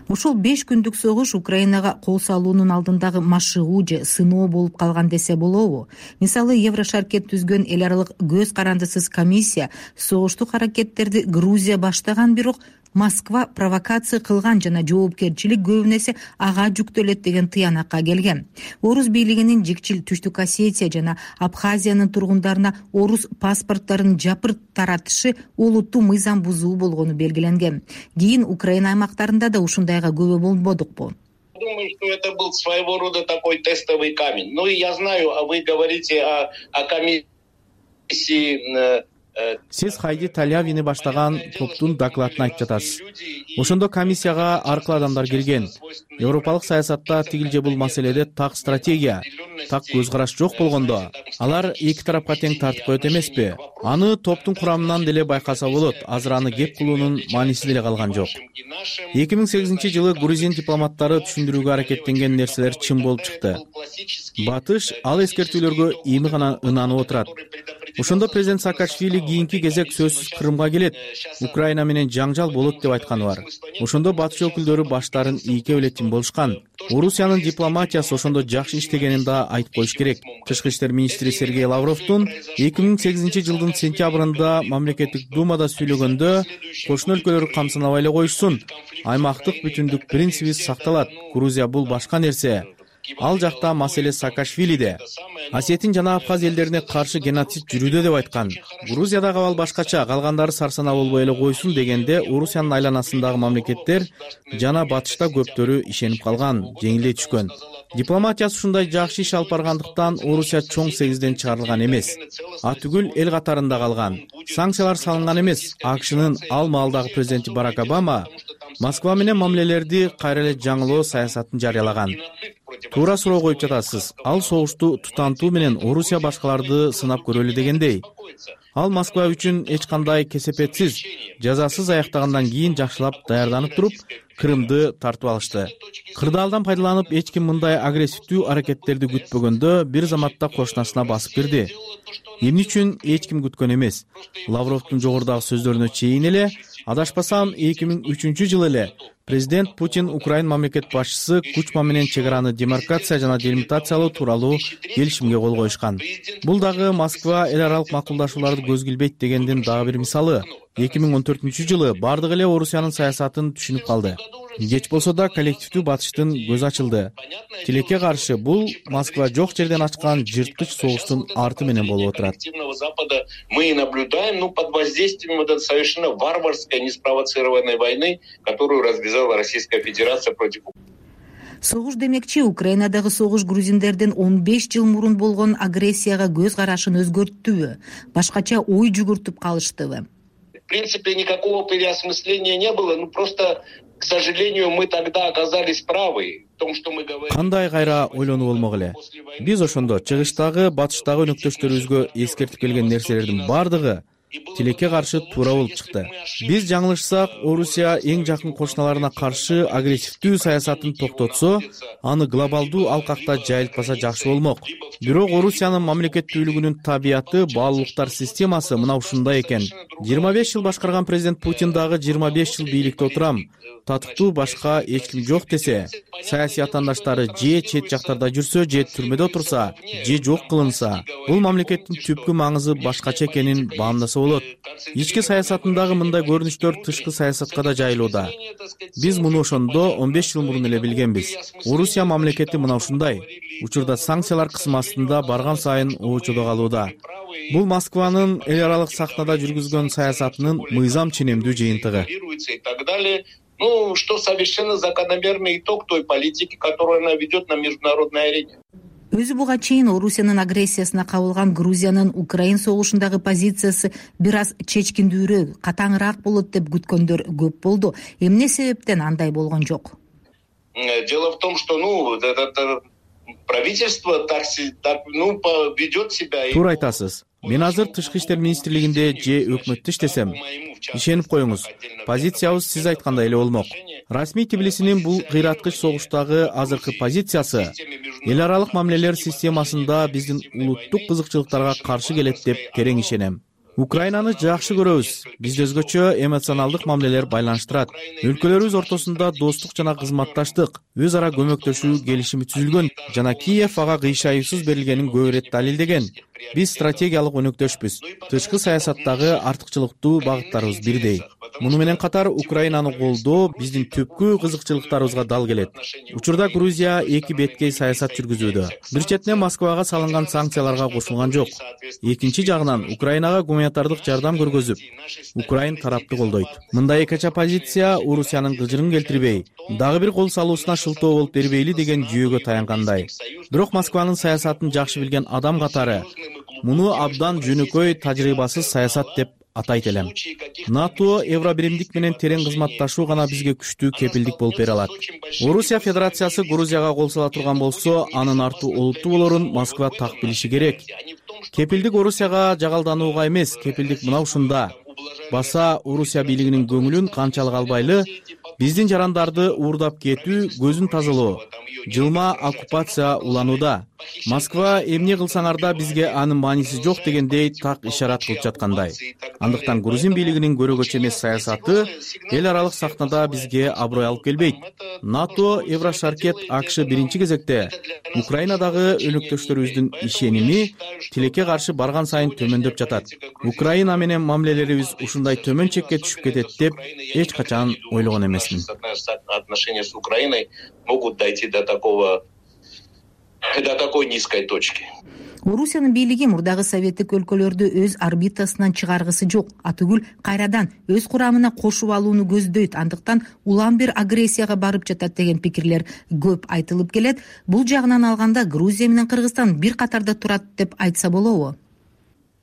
Ошол 5 күндүк согуш Украинага кол салуунун алдындагы машыгуу же сыноо болуп калган десе болобу? Мисалы, Еврошаркет түзгөн эл аралык көз карандысыз комиссия согуштук аракеттерди Грузия баштаган, бирок Москва провокация кылган жана жоопкерчилик көбүн эсе ага жүктөлөт деген тыянакка келген. Орус бийлигинин жикчил Түштүк Осетия жана Абхазиянын тургундарына орус паспорттарын жапырт таратышы олуттуу мыйзам бузуу болгону белгиленген. Кийин Украина аймактарында да ушундайга күбө болбодукпу? Думаю, что это был своего рода такой тестовый камень. Ну и я знаю, а вы говорите о комиссии. Сиз Хайди Талявини баштаган топтун докладын айтып жатасыз. Ошондо комиссияга ар кыл адамдар кирген. Европалык саясатта тигил же бул маселеде так стратегия, так көз караш жок болгондо, алар эки тарапка тең тартып коет эмеспи? Аны топтун курамынан деле байкаса болот. Азыр аны кеп кылуунун мааниси деле калган жок. 2008-жылы грузин дипломаттары түшүндүрүүгө аракеттенген нерселер чын болуп чыкты. Батыш ал эскертүүлөргө эми гана ынанып отурат. Ошондо президент Саакашвили кийинки кезек сөзсүз Крымга келет, Украина менен жаңжал болот деп айтканы бар. Ошондо батыш өкүлдөрү баштарын ийке белетин болушкан. Орусиянын дипломатиясы ошондо жакшы иштегенин да айтып коюш керек. Тышкы иштер министри Сергей Лавровдун 2008-жылдын сентябрында мамлекеттик думада сүйлөгөндө кошуна өлкөлөр камсынабай эле коюшсун, аймактык бүтүндүк принциби сакталат. Грузия бул башка нерсе. Ал жакта маселе Саакашвилиде. Осетин жана Абхаз элдерине каршы геноцид жүрүүдө деп айткан. Грузиядагы абал башкача, калгандары сарсанаа болбой эле койсун дегенде Орусиянын айланасындагы мамлекеттер жана батышта көптөрү ишенип калган, жеңилдей түшкөн. Дипломатиясы ушундай жакшы иш алып баргандыктан Орусия чоң сегизден чыгарылган эмес. Атүгүл эл катарында калган. Санкциялар салынган эмес. АКШнын ал маалдагы президенти Барак Обама Москва менен мамилелерди кайра эле жаңылоо саясатын жарыялаган. Туура суроо коюп жатасыз. Ал согушту тутантуу менен Орусия башкаларды сынап көрөлү дегендей. Ал Москва үчүн эч кандай кесепетсиз, жазасыз аяктагандан кийин жакшылап даярданып туруп, Крымды тартып алышты. Кырдаалдан пайдаланып эч ким мындай агрессивдүү аракеттерди күтпөгөндө бир заматта кошунасына басып кирди. Эмне үчүн эч ким күткөн эмес. Лавровдун жогорудагы сөздөрүнө чейин эле, адашпасам 2003-жылы эле президент Путин Украин мамлекет башчысы Кучма менен чек араны демаркация жана делимитациялоо тууралуу келишимге кол коюшкан. Бул дагы Москва эл аралык макулдашууларды көз килбейт дегендин дагы бир мисалы. 2014-жылы бардык эле Орусиянын саясатын түшүнүп калды. Кеч болсо да коллективдүү батыштын көзү ачылды. Тилекке каршы бул Москва жок жерден ачкан жырткыч согуштун арты менен болуп отурат. Мы наблюдаем, под воздействием совершенно варварской, неспровоцированной войны, которую развязала Российская Федерация против Украины. Согуш демекчи, Украинадагы согуш грузиндердин 15 жыл мурун болгон агрессияга көз карашын өзгөрттүбү, башкача ой жүгүртүп калыштыбы? В принципе, никакого переосмысления не было, просто, к сожалению, мы тогда оказались правы в том, что мы говорим. Кандай кайра ойлонуп болмок эле. Биз ошондо чыгыштагы, батыштагы өнөктөштөрүбүзгө эскертип келген нерселердин бардыгы тилекке каршы туура болуп чыкты. Биз жаңылышсак, Орусия эң жакын кошуналарына каршы агрессивдүү саясатын токтотсо, аны глобалдуу алкакта жайылтпаса жакшы болмок. Бирок Орусиянын мамлекеттүүлүгүнүн табияты, баалуулуктар системасы мына ушундай экен. 25 жыл башкарган президент Путин дагы 25 жыл бийликте отурам, татыктуу башка эч ким жок десе, саясий атаандаштары же чет жактарда жүрсө, же түрмөдө отурса, же жок кылынса, бул мамлекеттин түпкү маңызы башкача экенин баамдаса болот. Ички саясатындагы мындай көрүнүштөр тышкы саясатка да жайылууда. Биз муну ошондо 15 жыл мурун эле билгенбиз. Орусия мамлекети мына ушундай. Учурда санкциялар кысым астында барган сайын оочодо калууда. Бул Москванын эл аралык сахнада жүргүзгөн саясатынын мыйзам ченемдүү жыйынтыгы. Что совершенно закономерный итог той политики, которую она ведет на международной арене. Өзү буга чейин Орусиянын агрессиясына кабылган Грузиянын Украин согушундагы позициясы бир аз чечкиндүүрөөк, катаңыраак болот деп күткөндөр көп болду. Эмне себептен андай болгон жок? Дело в том, что правительство так ведет себя. Туура айтасыз. Мен азыр тышкы иштер министрлигинде же өкмөттө иштесем, ишенип коюңуз, позициябыз сиз айткандай эле болмок. Расмий Тбилисинин бул кыйраткыч согуштагы азыркы позициясы эл аралык мамилелер системасында биздин улуттук кызыкчылыктарга каршы келет деп терең ишенем. Украинаны жакшы көрөбүз. Бизди өзгөчө эмоционалдык мамилелер байланыштырат. Өлкөлөрүбүз ортосунда достук жана кызматташтык, өз ара көмөктөшүү келишими түзүлгөн жана Киев ага кыйшайыпсыз берилгенин көп ирет далилдеген. Биз стратегиялык өнөктөшпүз. Тышкы саясаттагы артыкчылыктуу багыттарыбыз бирдей. Муну менен катар Украинаны колдоо биздин түпкү кызыкчылыктарыбызга дал келет. Учурда Грузия эки беткей саясат жүргүзүүдө. Бир четинен Москвага салынган санкцияларга кошулган жок. Экинчи жагынан Украинага гуманитардык жардам көргөзүп, Украин тарапты колдойт. Мындай экача позиция Орусиянын кыжырын келтирбей, дагы бир кол салуусуна шылтоо болуп бербейли деген жүйөгө таянгандай. Бирок Москванын саясатын жакшы билген адам катары муну абдан жөнөкөй тажрыйбасыз саясат деп атайт элем. НАТО Евробиримдик менен терең кызматташуу гана бизге күчтүү кепилдик болуп бере алат. Орусия Федерациясы Грузияга кол сала турган болсо, анын арты олуттуу болорун Москва так билиши керек. Кепилдик Орусияга жагалданууга эмес, кепилдик мына ушунда. Баса Орусия бийлигинин көңүлүн канчалык албайлы, биздин жарандарды уурдап кетүү, көзүн тазалоо, жылма оккупация уланууда. Москва эмне кылсаңар да бизге анын мааниси жок дегендей так ишарат кылып жаткандай. Андыктан грузин бийлигинин көрөгөчө эмес саясаты эл аралык сахнада бизге аброй алып келбейт. НАТО, Еврошаркет, АКШ биринчи кезекте Украинадагы өнөктөштөрүбүздүн ишеними тилекке каршы барган сайын төмөндөп жатат. Украина менен мамилелерибиз ушундай төмөн чекке түшүп кетет деп эч качан ойлогон эмесмин. Отношения с Украиной могут дойти до такой низкой точки. Орусиянын бийлиги мурдагы советтик өлкөлөрдү өз орбитасынан чыгаргысы жок, атүгүл кайрадан өз курамына кошуп алууну көздөйт. Андыктан улам бир агрессияга барып жатат деген пикирлер көп айтылып келет. Бул жагынан алганда Грузия менен Кыргызстан бир катарда турат деп айтса болобу?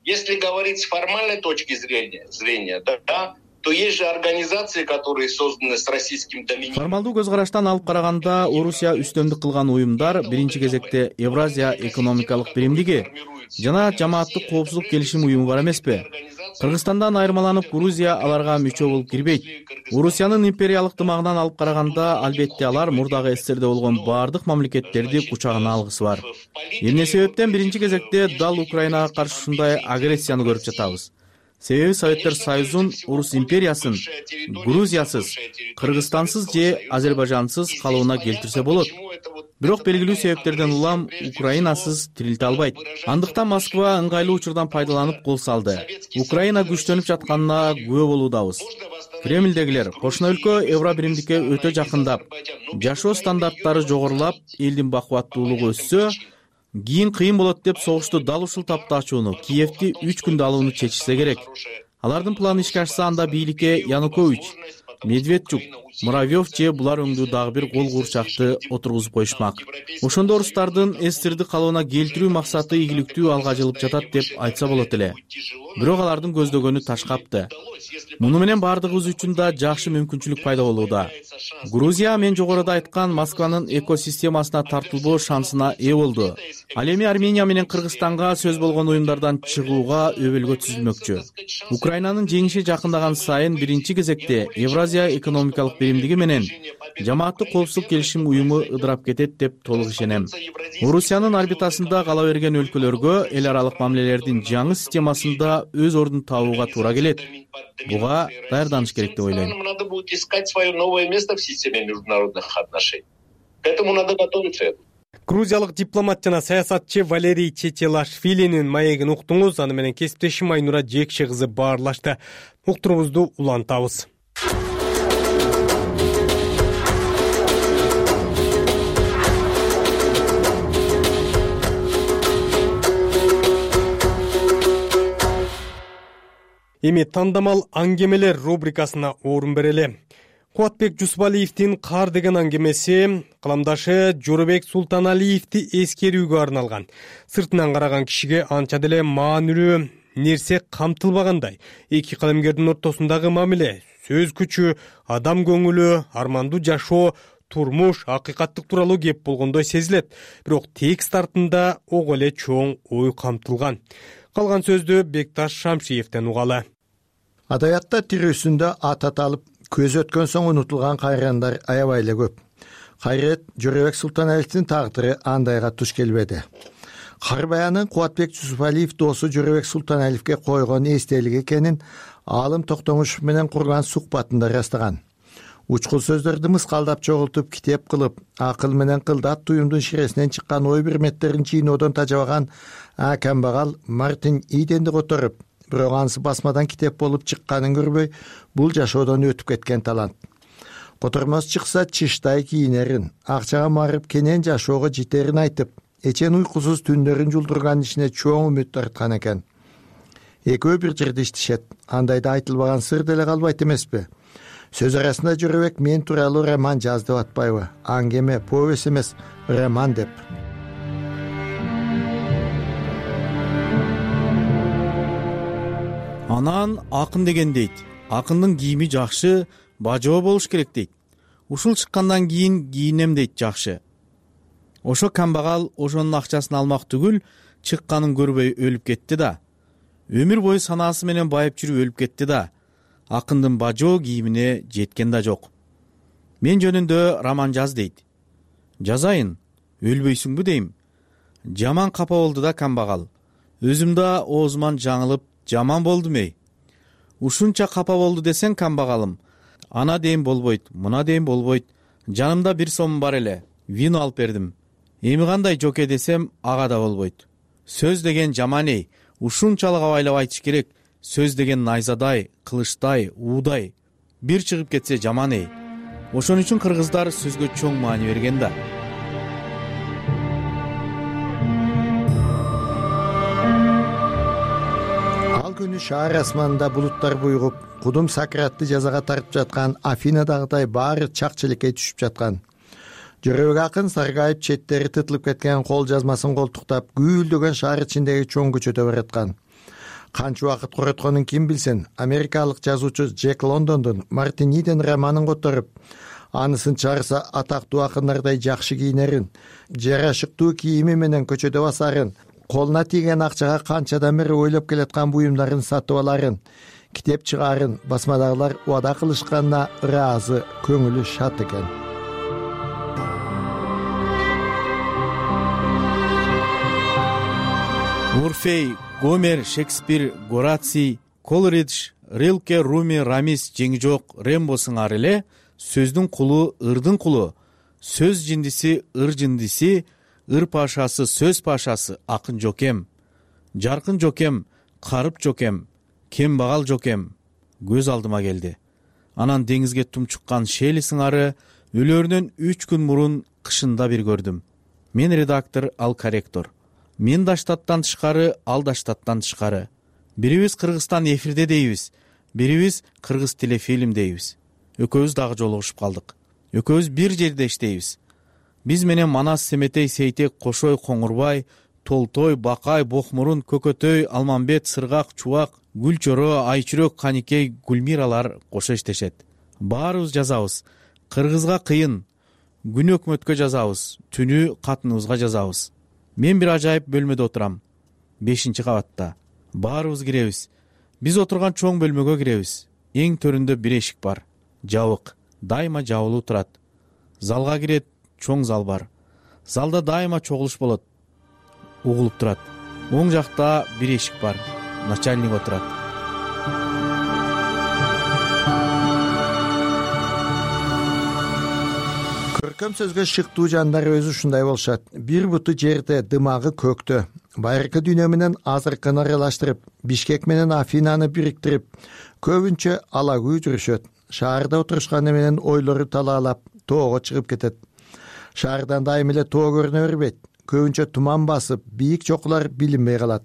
Если говорить с формальной точки зрения, да, то есть же организации, которые созданы с российским доминированием. Формалдуу көз караштан алып караганда, Орусия үстөмдүк кылган уюмдар биринчи кезекте Евразия экономикалык биримдиги жана жамааттык коопсуздук келишим уюму бар эмеспи? Кыргызстандан айырмаланып, Грузия аларга мүчө болуп кирбейт. Орусиянын империялык дымагынан алып караганда, албетте алар мурдагы СССРде болгон баардык мамлекеттерди кучагына алгысы бар. Эмне себептен биринчи кезекте дал Украинага каршы ушундай агрессияны көрүп жатабыз? Себеби Советтер Союзун, Орус империясын Грузиясыз, Кыргызстансыз же Азербайжансыз калыбына келтирсе болот. Бирок белгилүү себептерден улам Украинасыз тирилте албайт. Андыктан Москва ыңгайлуу учурдан пайдаланып кол салды. Украина күчтөнүп жатканына күбө болуудабыз. Кремлдегилер кошуна өлкө Евробиримдикке өтө жакындап, жашоо стандарттары жогорулап, элдин бакубаттуулугу өссө, кийин кыйын болот деп согушту дал ушул тапта ачууну, Киевти 3 күндө алууну чечишсе керек. Алардын планы ишке ашса, анда бийликке Янукович, Медведчук, Муравьев же булар өңдүү дагы бир кол куурчакты отургузуп коюшмак. Ошондо орустардын СССРди калыбына келтирүү максаты ийгиликтүү алга жылып жатат деп айтса болот эле. Бирок алардын көздөгөнү ташкапты. Муну менен баардыгыбыз үчүн да жакшы мүмкүнчүлүк пайда болууда. Грузия мен жогоруда айткан Москванын экосистемасына тартылбоо шансына ээ болду. Ал эми Армения менен Кыргызстанга сөз болгон уюмдардан чыгууга өбөлгө түзүлмөкчү. Украинанын жеңиши жакындаган сайын биринчи кезекте Евразия экономикалык биримдиги менен жамааттык коопсуздук келишим уюму ыдырап кетет деп толук ишенем. Орусиянын орбитасында кала берген өлкөлөргө эл аралык мамилелердин жаңы системасында өз ордун табууга туура келет. Буга даярданыш керек деп ойлойм. Надо будет искать свое новое место в системе международных отношений. К этому надо готовиться. Грузиялык дипломат жана саясатчы Валерий Чечелашвилинин маегин уктуңуз. Аны менен кесиптешим Айнура Жекше кызы баарлашты. Уктуруубузду улантабыз. Эми тандамал аңгемелер рубрикасына орун берели. Кубатбек Жусупалиевдин «Кар» деген аңгемеси каламдашы Жоробек Султаналиевди эскерүүгө арналган. Сыртынан караган кишиге анча деле маанилүү нерсе камтылбагандай. Эки калемгердин ортосундагы мамиле, сөз күчү, адам көңүлү, армандуу жашоо, турмуш, акыйкаттык тууралуу кеп болгондой сезилет. Бирок текст артында ого эле чоң ой камтылган. Калган сөздү Бекташ Шамшиевден угалы. Адабиятта тирүүсүндө ат аталып, көз өткөн соң унутулган кайрыгандар аябай эле көп. Кайрет Жоробек Султаналиевдин тагдыры андайга туш келбеди. Кар баяны Кубатбек Жусупалиев досу Жоробек Султаналиевге койгон эстелик экенин Аалым Токтомушев менен курган сухбатында ырастаган. Учкул сөздөрдү мыскалдап чогултуп, китеп кылып, акыл менен кылдат туюмдун ширесинен чыккан ой бирметтерин чийноодон тажабаган камбагал Мартин Иденди которуп, бирок анысы басмадан китеп болуп чыкканын көрбөй бул жашоодон өтүп кеткен талант. Котормос чыкса чыштай кийинерин, акчага марып кенен жашоого жетерин айтып, эчен уйкусуз түндөрүн жулдурган ишине чоң үмүт арткан экен. Экөө бир жерде иштешет, андайда айтылбаган сыр деле калбайт эмеспи? Сөз арасында Жөрөбек мен тууралуу роман жаз деп атпайбы? Аңгеме, повесть эмес, роман деп. Анан акын деген дейт. Акындын кийими жакшы, бажоо болуш керек дейт. Ушул чыккандан кийин кийинем дейт жакшы. Ошо камбагал ошонун акчасын алмак түгүл, чыкканын көрбөй өлүп кетти да. Өмүр бою санаасы менен байып жүрүп өлүп кетти да. Акындын бажоо кийимине жеткен да жок. Мен жөнүндө роман жаз дейт. Жазайын, өлбөйсүңбү дейм. Жаман капа болду да камбагал. Өзүм да оозуман жаңылып, жаман болдум эй. Ушунча капа болду десең камбагалым. Ана дейм болбойт, мына дейм болбойт. Жанымда 1 сом бар эле. Вино алып бердим. Эми кандай жоке десем, ага да болбойт. Сөз деген жаман эй. Ушунчалык абайлап айтыш керек. Сөз деген найзадай, кылычтай, уудай. Бир чыгып кетсе жаман эй. Ошон үчүн кыргыздар сөзгө чоң маани берген да. Ал күнү шаар асманында булуттар буйгуп, кудум Сократты жазага тартып жаткан Афинадагыдай баары чак-челекей түшүп жаткан. Жөрөбек акын саргайып четтери тытылып кеткен кол жазмасын колтуктап, гүйлдөгөн шаар ичиндеги чоң көчөдө бараткан. Канча убакыт коротконун ким билсин, америкалык жазуучу Джек Лондондун Мартиниден романын которуп, анысын чыгарса атактуу акындардай жакшы кийинерин, жарашыктуу кийими менен көчөдө басарын, колуна тийген акчага канчадан бери ойлоп келаткан буюмдарын сатып аларын, китеп чыгаарын басмадагылар убада кылышканына ыраазы, көңүлү шат экен. Орфей, Гомер, Шекспир, Гораций, Колридж, Рилке, Руми, Рамис, жеңи жок, Рембо сыңары эле сөздүн кулу, ырдын кулу, сөз жиндиси, ыр жиндиси, ыр пашасы, сөз пашасы, акын жокем, жаркын жокем, карып жокем, кембагал жокем көз алдыма келди. Анан деңизге тумчуккан Шели сыңары өлөрүнөн 3 күн мурун кышында бир көрдүм. Мен редактор, ал корректор. Мен да штаттан тышкары, ал да штаттан тышкары. Бирибиз Кыргызстан эфирде дейбиз, бирибиз кыргыз телефильм дейбиз. Экөөбүз дагы жолугушуп калдык. Экөөбүз бир жерде иштейбиз. Биз менен Манас, Семетей, Сейтек, Кошой, Коңурбай, Толтой, Бакай, Бокмурун, Көкөтөй, Алмамбет, Сыргак, Чубак, Гүлчөрө, Айчүрөк, Каникей, Гүлмиралар кошо иштешет. Баарыбыз жазабыз. Кыргызга кыйын. Күн өкмөткө жазабыз, түнү катыныбызга жазабыз. Мен бир ажайып бөлмөдө отурам. 5-кабатта. Баарыбыз киребиз. Биз отурган чоң бөлмөгө киребиз. Эң төрүндө бир эшик бар. Жабык. Дайыма жабылуу турат. Залга кирет, чоң зал бар. Залда дайыма чогулуш болот. Угулуп турат. Оң жакта бир эшик бар. Начальник отурат. Көркөм сөзгө шыктуу жандар өзү ушундай болушат. Бир буту жерде, дымагы көктө. Байыркы дүйнө менен азыркыны аралаштырып, Бишкек менен Афинаны бириктирип, көбүнчө алагүү жүрүшөт. Шаарда отурушканы менен ойлору талаалап, тоого чыгып кетет. Шаардан дайым эле тоо көрүнө бербейт. Көбүнчө туман басып, бийик чокулар билинбей калат.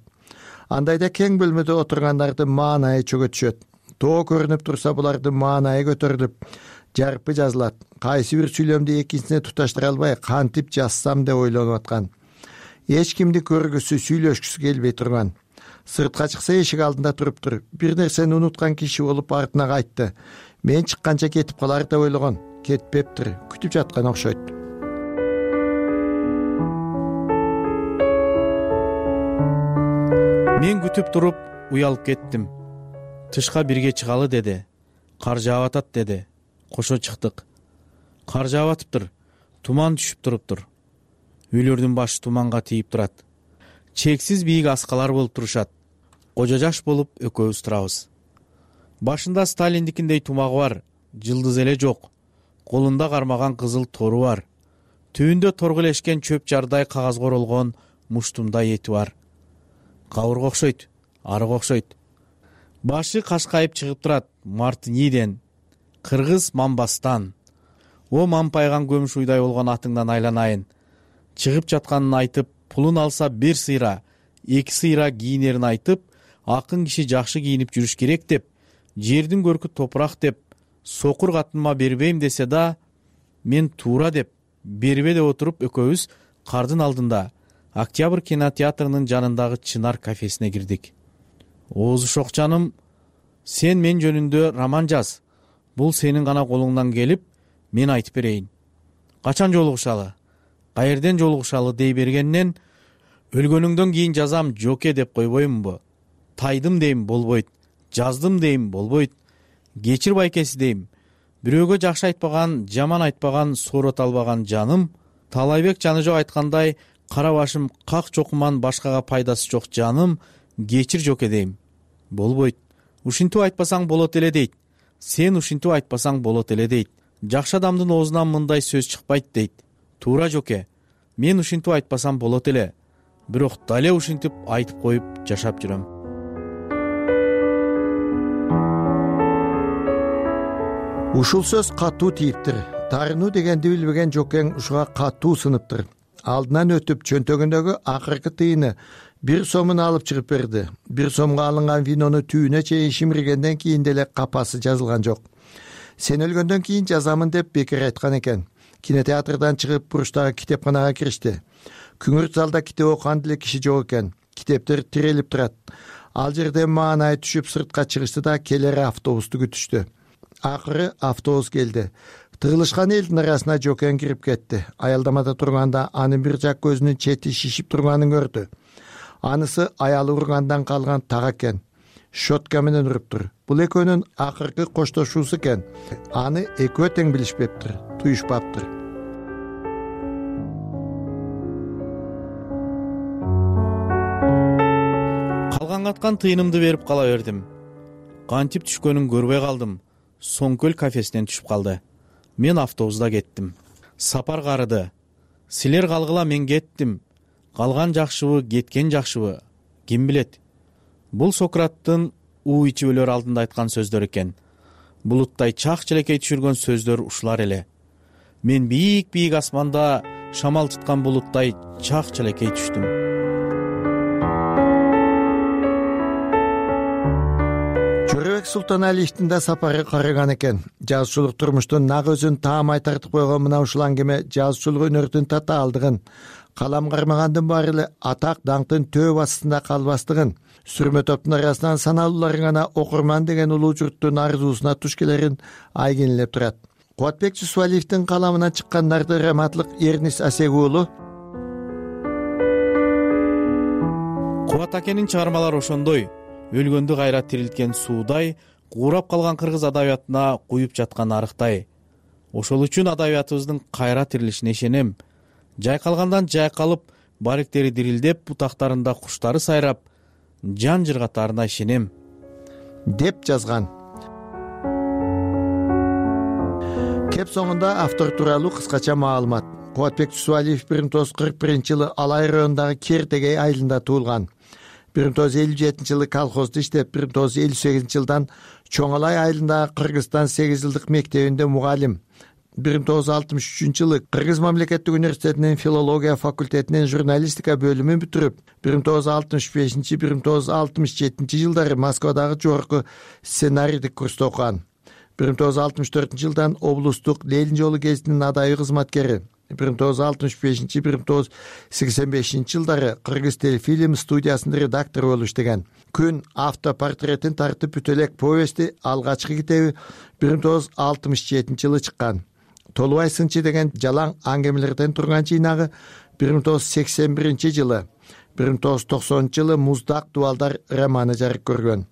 Андайда кең бөлмөдө отургандардын маанайы чөгө түшөт. Тоо көрүнүп турса, булардын маанайы көтөрүлүп, жарпы жазылат. Кайсы бир сүйлөмдү экинчисине туташтыра албай, кантип жазсам деп ойлонуп аткан. Эч кимди көргүсү, сүйлөшкүсү келбей турган. Сыртка чыкса эшик алдында туруптур. Бир нерсени унуткан киши болуп артына кайтты. Мен чыкканча кетип калар деп ойлогон. Кетпептир, күтүп жаткан окшойт. Мен күтүп туруп уялып кеттим. Тышка бирге чыгалы деди. Кар жаап атат деди. Кошо чыктык. Кар жаап атыптыр. Туман түшүп туруптур. Үйлөрдүн башы туманга тийип турат. Чексиз бийик аскалар болуп турушат. Кожо жаш болуп экөөбүз турабыз. Башында Сталиндикиндей тумагы бар, жылдыз эле жок. Колунда кармаган кызыл тору бар. Түбүндө торгулешкен чөп жардай кагазга оролгон муштумдай эти бар. Кабырга окшойт, арыга окшойт. башы кашкайып чыгып турат Мартиниден, кыргыз Мамбастан. О мампайган көмүш уйдай болгон атыңдан айланайын. Чыгып жатканын айтып, пулун алса бир сыйра, 2 сыйра кийинерин айтып, акын киши жакшы кийинип жүрүш керек деп, жердин көркү топурак деп, сокур катыныма бербейм десе да, мен туура деп, бербе деп отуруп экөөбүз кардын алдында Октябрь кинотеатрынын жанындагы Чынар кафесине кирдик. Оозушок жаным, сен мен жөнүндө роман жаз. Бул сенин гана колуңдан келип, мен айтып берейин. Качан жолугушалы? Каерден жолугушалы дей бергеннен, өлгөнүңдөн кийин жазам жоке деп койбоймунбу? Тайдым дейм болбойт, жаздым дейм болбойт. Кечир байкеси дейм. Бирөөгө жакшы айтпаган, жаман айтпаган, соорот албаган жаным. Талайбек Жаныжок айткандай, кара башым как чокуман башкага пайдасы жок жаным, кечир жоке дейм. Болбойт. Ушинтип айтпасаң болот эле дейт. Сен ушинтип айтпасаң болот эле дейт. Жакшы адамдын оозунан мындай сөз чыкпайт дейт. Туура жоке. Мен ушинтип айтпасам болот эле. Бирок дале ушинтип айтып коюп жашап жүрөм. Ушул сөз катуу тийиптир. Тарынуу дегенди билбеген жокең ушуга катуу сыныптыр. Алдынан өтүп чөнтөгүндөгү акыркы тыйыны 1 сомун алып чыгып берди. 1 сомго алынган винону түйүнө чейин шимиргенден кийин деле капасы жазылган жок. Сен өлгөндөн кийин жазамын деп бекер айткан экен. Кинотеатрдан чыгып буруштагы китепканага киришти. Күңүрт залда китеп окуган деле киши жок экен. Китептер тирелип турат. Ал жерден маанай түшүп сыртка чыгышты да келер автобусту күтүштү. Акыры автобус келди. Тыгылышкан элдин арасына жокең кирип кетти. Аялдамада турганда анын бир жак көзүнүн чети шишип турганын көрдү. Анысы аялы ургандан калган так экен. Шотка менен уруптур. Бул экөөнүн акыркы коштошуусу экен. Аны экөө тең билишпептир, туюшпаптыр. Калган каткан тыйынымды берип кала бердим. Кантип түшкөнүн көрбөй калдым. Соңкөл кафесинен түшүп калды. Мен автобуста кеттим. Сапар карыды. Силер калгыла мен кеттим. Калган жакшыбы, кеткен жакшыбы? Ким билет? Бул Сократтын уу ичип өлөр алдында айткан сөздөр экен. Булуттай чак челекей түшүргөн сөздөр ушулар эле. Мен бийик асманда шамал туткан булуттай чак челекей түштүм. Жорабек Султаналиевдин да сапары карыган экен. Жазуучулук турмуштун нак өзүн таамай тартып койгон мына ушул аңгеме жазуучулук өнөрдүн татаалдыгын, калам кармагандын баары эле атак даңктын төө астында калбастыгын, сүрмө топтун арасынан саналуулары гана окурман деген улуу журттун арзуусуна туш келерин айгинелеп турат. Кубатбек Жусупалиевдин каламынан чыккан нарды раматлык Эрнис Асег уулу Кубат акенин чыгармалары ошондой. Өлгөндү кайра тирилткен суудай, куурап калган кыргыз адабиятына куюп жаткан арыктай. Ошол үчүн адабиятыбыздын кайра тирилишине ишенем. Жайкалгандан жайкалып, баректери дирилдеп, бутактарында куштары сайрап, жан жыргатаарына ишенем, деп жазган. Кеп соңунда автор тууралуу кыскача маалымат. Кубатбек Жусупалиев 1941-жылы Алай районундагы Кертегей айылында туулган. 1957-жылы колхозду иштеп, 1958-жылдан Чоң Алай айылындагы Кыргызстан 8 жылдык мектебинде мугалим. 1963-жылы Кыргыз мамлекеттик университетинин филология факультетинин журналистика бөлүмүн бүтүрүп, 1965-1967 жылдары Москвадагы жогорку сценарийлик курсту окуган. 1964-жылдан облустук Ленин жолу гезитинин адайы кызматкери. 1965-1985 жылдары Кыргыз телефильм студиясынын редактору болуп иштеген. Күн автопортретин тартып бүтө элек повести алгачкы китеби 1967 жылы чыккан. Толубай сынчы деген жалаң аңгемелерден турган жыйнагы 1981 жылы, 1990 жылы Муздак дубалдар романы жарык көргөн.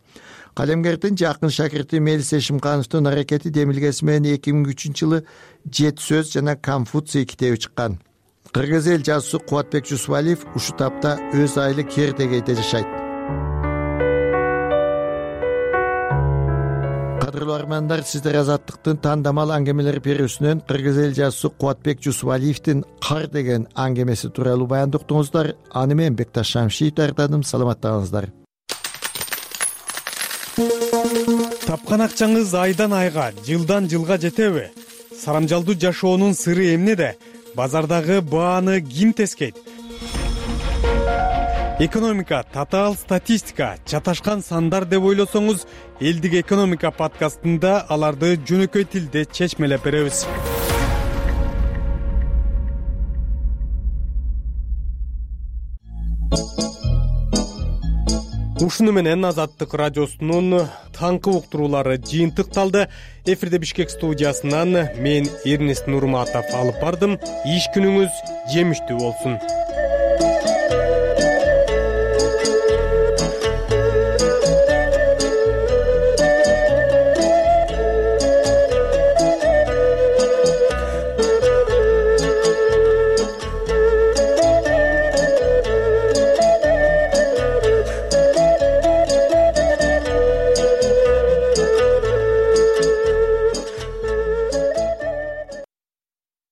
Калемгердин жакын шакирти Мелис Эшимкановдун аракети демилгеси менен 2003 жылы Жет сөз жана Конфуций китеби чыккан. Кыргыз эл жазуучусу Кубатбек Жусупалиев ушул тапта өз айылы Кертегейде жашайт. Кадырлуу армандар, сиздер Азаттыктын тандамал аңгемелер берүүсүнөн кыргыз эл жазуучусу Кубатбек Жусупалиевдин Кар деген аңгемеси тууралуу баянды уктуңуздар. Аны мен Бекташ Шамшиев даярдадым. Саламаттаңыздар. тапкан акчаңыз айдан айга, жылдан жылга жетеби? Сарамжалдуу жашоонун сыры эмнеде? Базардагы бааны ким тескейт? Экономика, татаал статистика, чаташкан сандар деп ойлосоңуз, Элдик экономика подкастында аларды жөнөкөй тилде чечмелеп беребиз. Ушуну менен Азаттык радиосунун таңкы уктуруулары жыйынтыкталды. Эфирде Бишкек студиясынан мен Эрнест Нурматов алып бардым. Иш күнүңүз жемиштүү болсун.